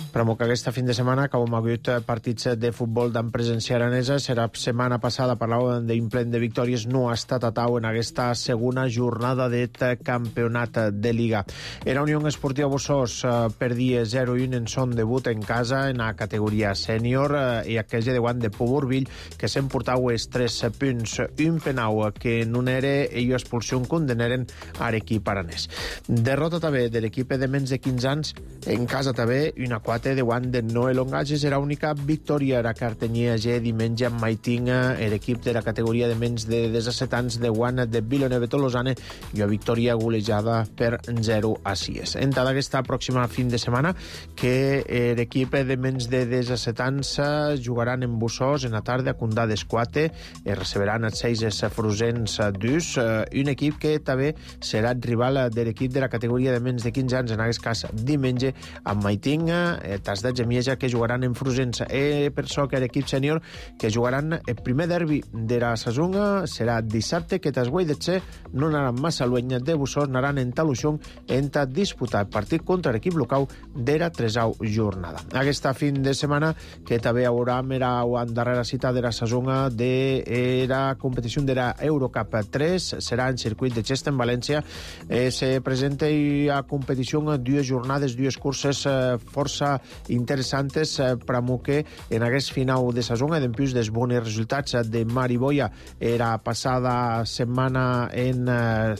Però que aquesta fin de setmana, que hem hagut partits de futbol d'en presència aranesa, serà setmana passada parlàvem d'implent de victòries, no ha estat a tau en aquesta segona jornada d'aquest campionat de Liga. Era Unió Esportiva Bossós perdia 0-1 en son debut en casa en la categoria sènior i aquella de guant de Poborvill que s'emportau els 3 punts. Un penau que no era i expulsió condenaren a l'equip aranès. Derrota també de l'equip de menys de 15 anys en casa també, una 4 de guant de Noel Ongages. Era única victòria a Cartanyia G diumenge amb Maitinga, l'equip de la categoria de menys de 17 anys de guant de Villeneuve Tolosane, i una victòria golejada per 0-6. En tota aquesta pròxima fin de setmana que l'equip de menys de 17 anys jugaran en Bossós en la tarda a Condà d'Esquate i receberan els 6 frusens d'Us, un equip que també serà rival de l'equip de la categoria de menys de 15 anys, en aquest cas diumenge amb Maitinga, tas de Gemieja, que jugaran en Frusens. Per això que l'equip sènior que jugaran el primer derbi de la saison serà dissabte, que tas Guaidetxe no anaran massa lueny de Bossós, anaran en Taluixón en disputar el partit contra l'equip local de la 3a jornada. Aquesta fin de setmana que també haurà la darrera cita de la saison de la competició de la Eurocup 3, serà en circuit de Xesta en València. Se presenta a competició dues jornades, dues curses força interessantes per a que en aquest final de saison i d'empús dels bons resultats de Mariboia era passada setmana en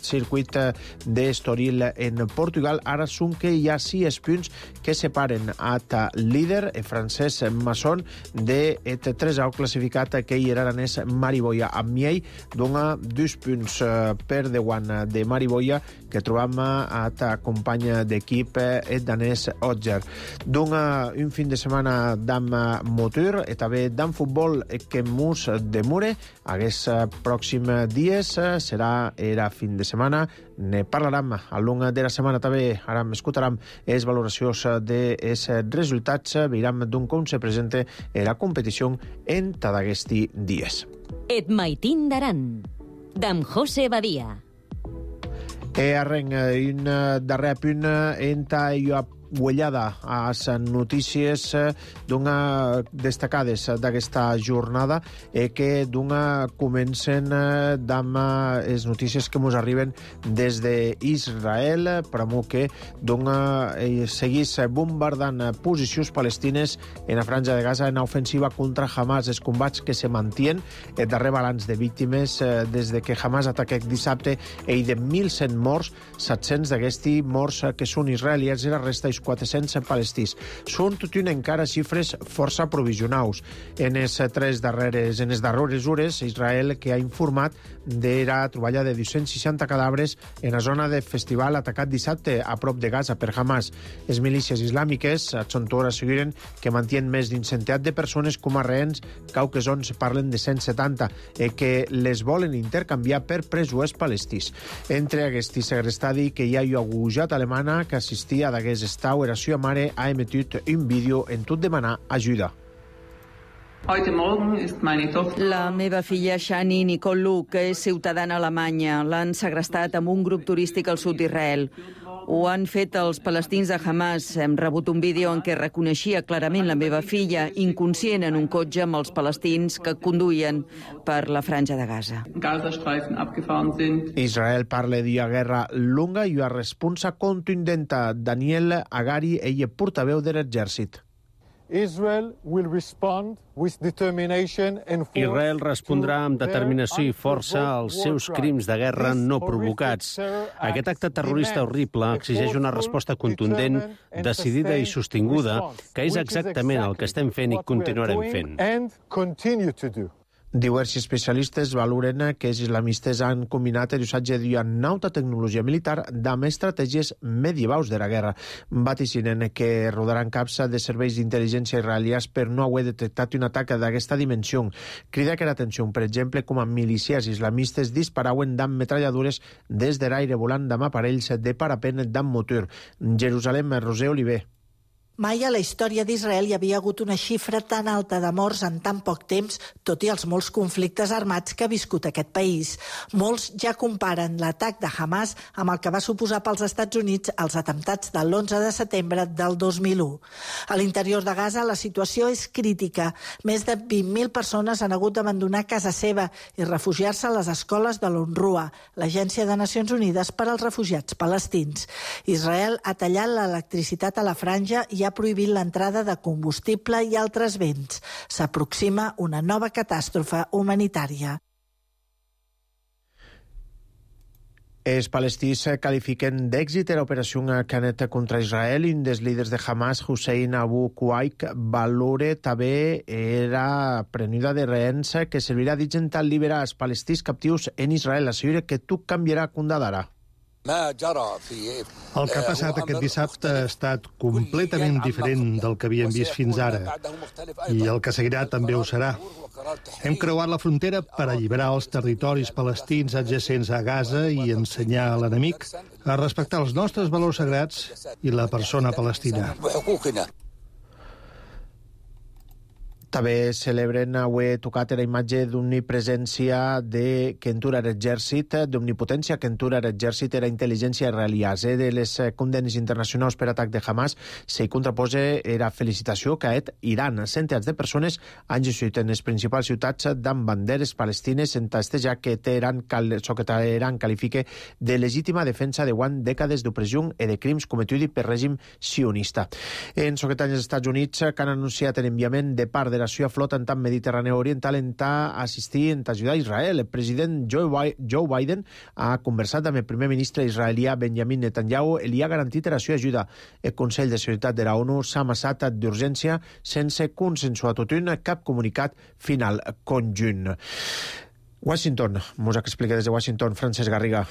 circuit d'Estoril en Portugal. Ara són que hi ha 6 punts que separen at líder francès Masson de 3a classificat que hi era aranès Mariboia. Amb Miei dona 2 punts per davant de Mariboia que trobam at company d'equip danès Otger. Dona un fin de setmana d'am motor i també d'am futbol que mus demure. Aquests pròxims dies serà era fin de setmana. Ne parlarem al long de la setmana també. Ara escoltarem les valoracions dels resultats. Veurem d'on com se presenta la competició en tots aquests dies.
Et Maitín d'Aran, d'en José Badía.
Arrenc un darrer punt enta jo uellada a les notícies destacades d'aquesta jornada que comencen amb les notícies que ens arriben des d'Israel, per que seguís bombardant posicions palestines en la franja de Gaza en ofensiva contra Hamas. Els combats que se mantien, el darrer balanç de víctimes des de que Hamas ataqués dissabte i de 1.100 morts, 700 d'aquests morts que són israelians i la resta dels 400 palestins. Són tot i encara xifres força provisionals. En les darreres hores, Israel que ha informat d'era troballa de 260 cadàvers en la zona de festival atacat dissabte a prop de Gaza per Hamas. Les milícies islàmiques a Chontora asseguren que mantien més d'un centenar de persones com a rehens, cauques on parlen de 170, que les volen intercanviar per presos palestins. Entre aquest segrestadi que hi ha agujat alemana que assistia d'aquest estau, la seva mare ha emetit un vídeo en tot demanar ajuda.
La meva filla Shani Nicole, que és ciutadana alemanya, l'han segrestat amb un grup turístic al sud d'Israel. Ho han fet els palestins de Hamas. Hem rebut un vídeo en què reconeixia clarament la meva filla, inconscient en un cotxe amb els palestins que conduïen per la franja de Gaza.
Israel parla d'una guerra longa i una responsa contundenta. Daniel Agari, ell és portaveu de l'exèrcit.
Israel respondrà amb determinació i força als seus crims de guerra no provocats. Aquest acte terrorista horrible exigeix una resposta contundent, decidida i sostinguda, que és exactament el que estem fent i continuarem fent.
Diversos especialistes valoren que els islamistes han combinat l'usatge d'una nauta tecnologia militar amb estratègies medievals de la guerra. Vaticinen que rodaran caps de serveis d'intel·ligència israelians per no haver detectat un atac d'aquesta dimensió. Crida que l'atenció, per exemple, com a milícies islamistes disparaven d'amb metralladures des de l'aire volant d'amb aparells de parapent d'amb motor. Jerusalem, Roser Oliver.
Mai a la història d'Israel hi havia hagut una xifra tan alta de morts en tan poc temps, tot i els molts conflictes armats que ha viscut aquest país. Molts ja comparen l'atac de Hamas amb el que va suposar pels Estats Units els atemptats de l'11 de setembre del 2001. A l'interior de Gaza la situació és crítica. Més de 20.000 persones han hagut d'abandonar casa seva i refugiar-se a les escoles de l'UNRWA, l'Agència de Nacions Unides per als Refugiats Palestins. Israel ha tallat l'electricitat a la franja i ha prohibit l'entrada de combustible i altres béns. S'aproxima una nova catàstrofe humanitària.
Els palestins qualifiquen d'èxit l'operació Canet contra Israel i un dels líders de Hamas, Hussein Abu Kuaik, valora també era prenuda de rehens que servirà d'intentar alliberar els palestins captius en Israel. Assegura que tot canviarà d'ara.
El que ha passat aquest dissabte ha estat completament diferent del que havíem vist fins ara, i el que seguirà també ho serà. Hem creuat la frontera per alliberar els territoris palestins adjacents a Gaza i ensenyar a l'enemic a respectar els nostres valors sagrats i la persona palestina.
També celebren avui tocat la imatge d'omnipresència de Kentura l'exèrcit, d'omnipotència Kentura l'exèrcit i la intel·ligència israeliana. De les condenes internacionals per atac de Hamas s'hi contraposa la felicitació que ha fet Iran. Centenars de persones han llegit en les principals ciutats amb banderes palestines en testejar que Teheran qualifica de legítima defensa de dècades d'opressió i de crims cometuts per règim sionista. En soquetany els Estats Units que han anunciat l'enviament de part de la seva flota en tant Mediterrània Oriental en assistir en ajudar a Israel. El president Joe Biden ha conversat amb el primer ministre israelià Benjamin Netanyahu i li ha garantit la seva ajuda. El Consell de Seguretat de la ONU s'ha amassat d'urgència sense consensuar tot cap comunicat final conjunt. Washington, mos explica des de Washington, Francesc Garriga.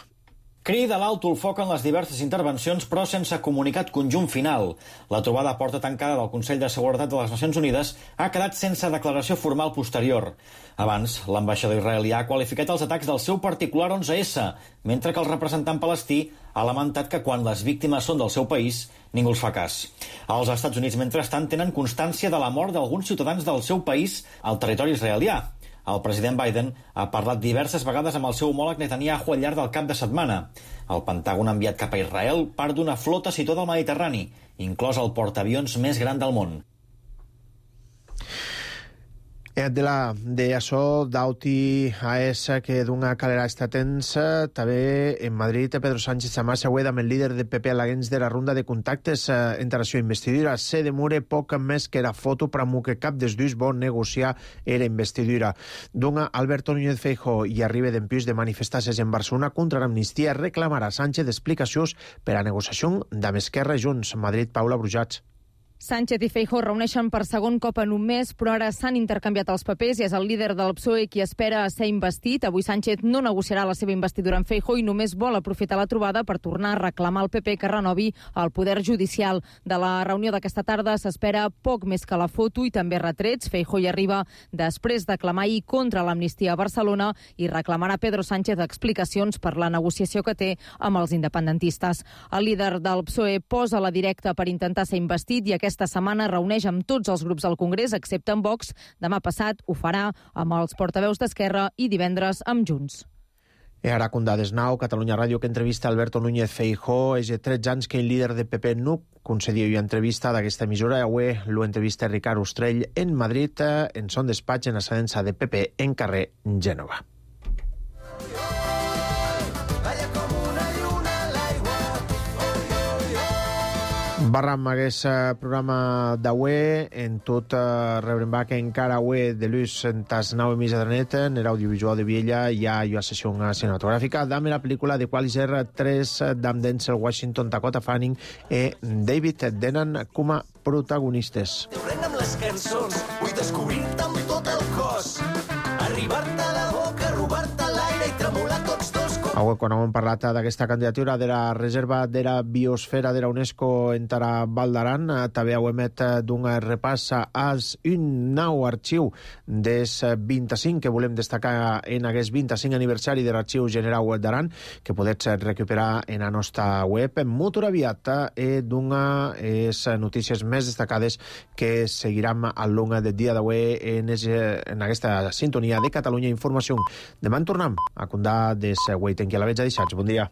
Crida l'alto el foc en les diverses intervencions, però sense comunicat conjunt final. La trobada a porta tancada del Consell de Seguretat de les Nacions Unides ha quedat sense declaració formal posterior. Abans, l'ambaixador israelià ha qualificat els atacs del seu particular 11S, mentre que el representant palestí ha lamentat que quan les víctimes són del seu país, ningú els fa cas. Els Estats Units, mentrestant, tenen constància de la mort d'alguns ciutadans del seu país al territori israelià. El president Biden ha parlat diverses vegades amb el seu homòleg Netanyahu al llarg del cap de setmana. El Pentàgon ha enviat cap a Israel part d'una flota situada al Mediterrani, inclòs el portaavions més gran del món.
De això d'auti a esa que d'una calera està tensa, també en Madrid Pedro Sánchez Samás avui amb el líder de PP alaguens de la ronda de contactes entre la investidura. Se demora poc més que la foto per a que cap dels dos vol negociar era investidura. D'una Alberto Núñez Feijóo i arriba d'empius de manifestar-se en Barcelona contra l'amnistia reclamarà Sánchez explicacions per a negociació d'Esquerra Esquerra Junts. Madrid, Paula Brujats.
Sánchez i Feijóo reuneixen per segon cop en un mes, però ara s'han intercanviat els papers i és el líder del PSOE qui espera ser investit. Avui Sánchez no negociarà la seva investidura amb Feijóo i només vol aprofitar la trobada per tornar a reclamar al PP que renovi el poder judicial. De la reunió d'aquesta tarda s'espera poc més que la foto i també retrets. Feijóo hi arriba després de clamar ahir contra l'amnistia a Barcelona i reclamarà a Pedro Sánchez explicacions per la negociació que té amb els independentistes. El líder del PSOE posa la directa per intentar ser investit i aquesta setmana reuneix amb tots els grups al Congrés, excepte amb Vox. Demà passat ho farà amb els portaveus d'Esquerra i divendres amb Junts.
I ara con dades nou, Catalunya Ràdio, que entrevista Alberto Núñez Feijóo. És de 13 anys que el líder de PP no concedia una entrevista d'aquesta emissora. Avui lo entrevista Ricard Ostrell en Madrid, en son despatx en la sedença de PP en carrer Gènova. Barram aquest programa d'avui, en tot rebrem que encara avui de l'ús en tas 9 emisa de net, en l'audiovisual de Viella hi ha una sessió cinematogràfica d'ame la pel·lícula de Qualizer 3 d'Am Denzel Washington, Dakota Fanning i David Tennant com a protagonistes.
Corrent amb les cançons, vull descobrir-te amb tot el cos, arribar-te a la boca, robar-te l'aire i tremolar tots dos.
Avui, quan hem parlat d'aquesta candidatura de la reserva de la biosfera de la UNESCO en Val d'Aran, també heu emet d'un repàs als un nou arxiu des 25 que volem destacar en aquest 25 aniversari de l'Arxiu General d'Aran, que podeu recuperar en la nostra web. Molt aviat d'una les notícies més destacades que seguiran al long del dia d'avui en aquesta sintonia de Catalunya Informació. Demà en tornem a contar des Waiting, que la veig a deixats. Bon dia.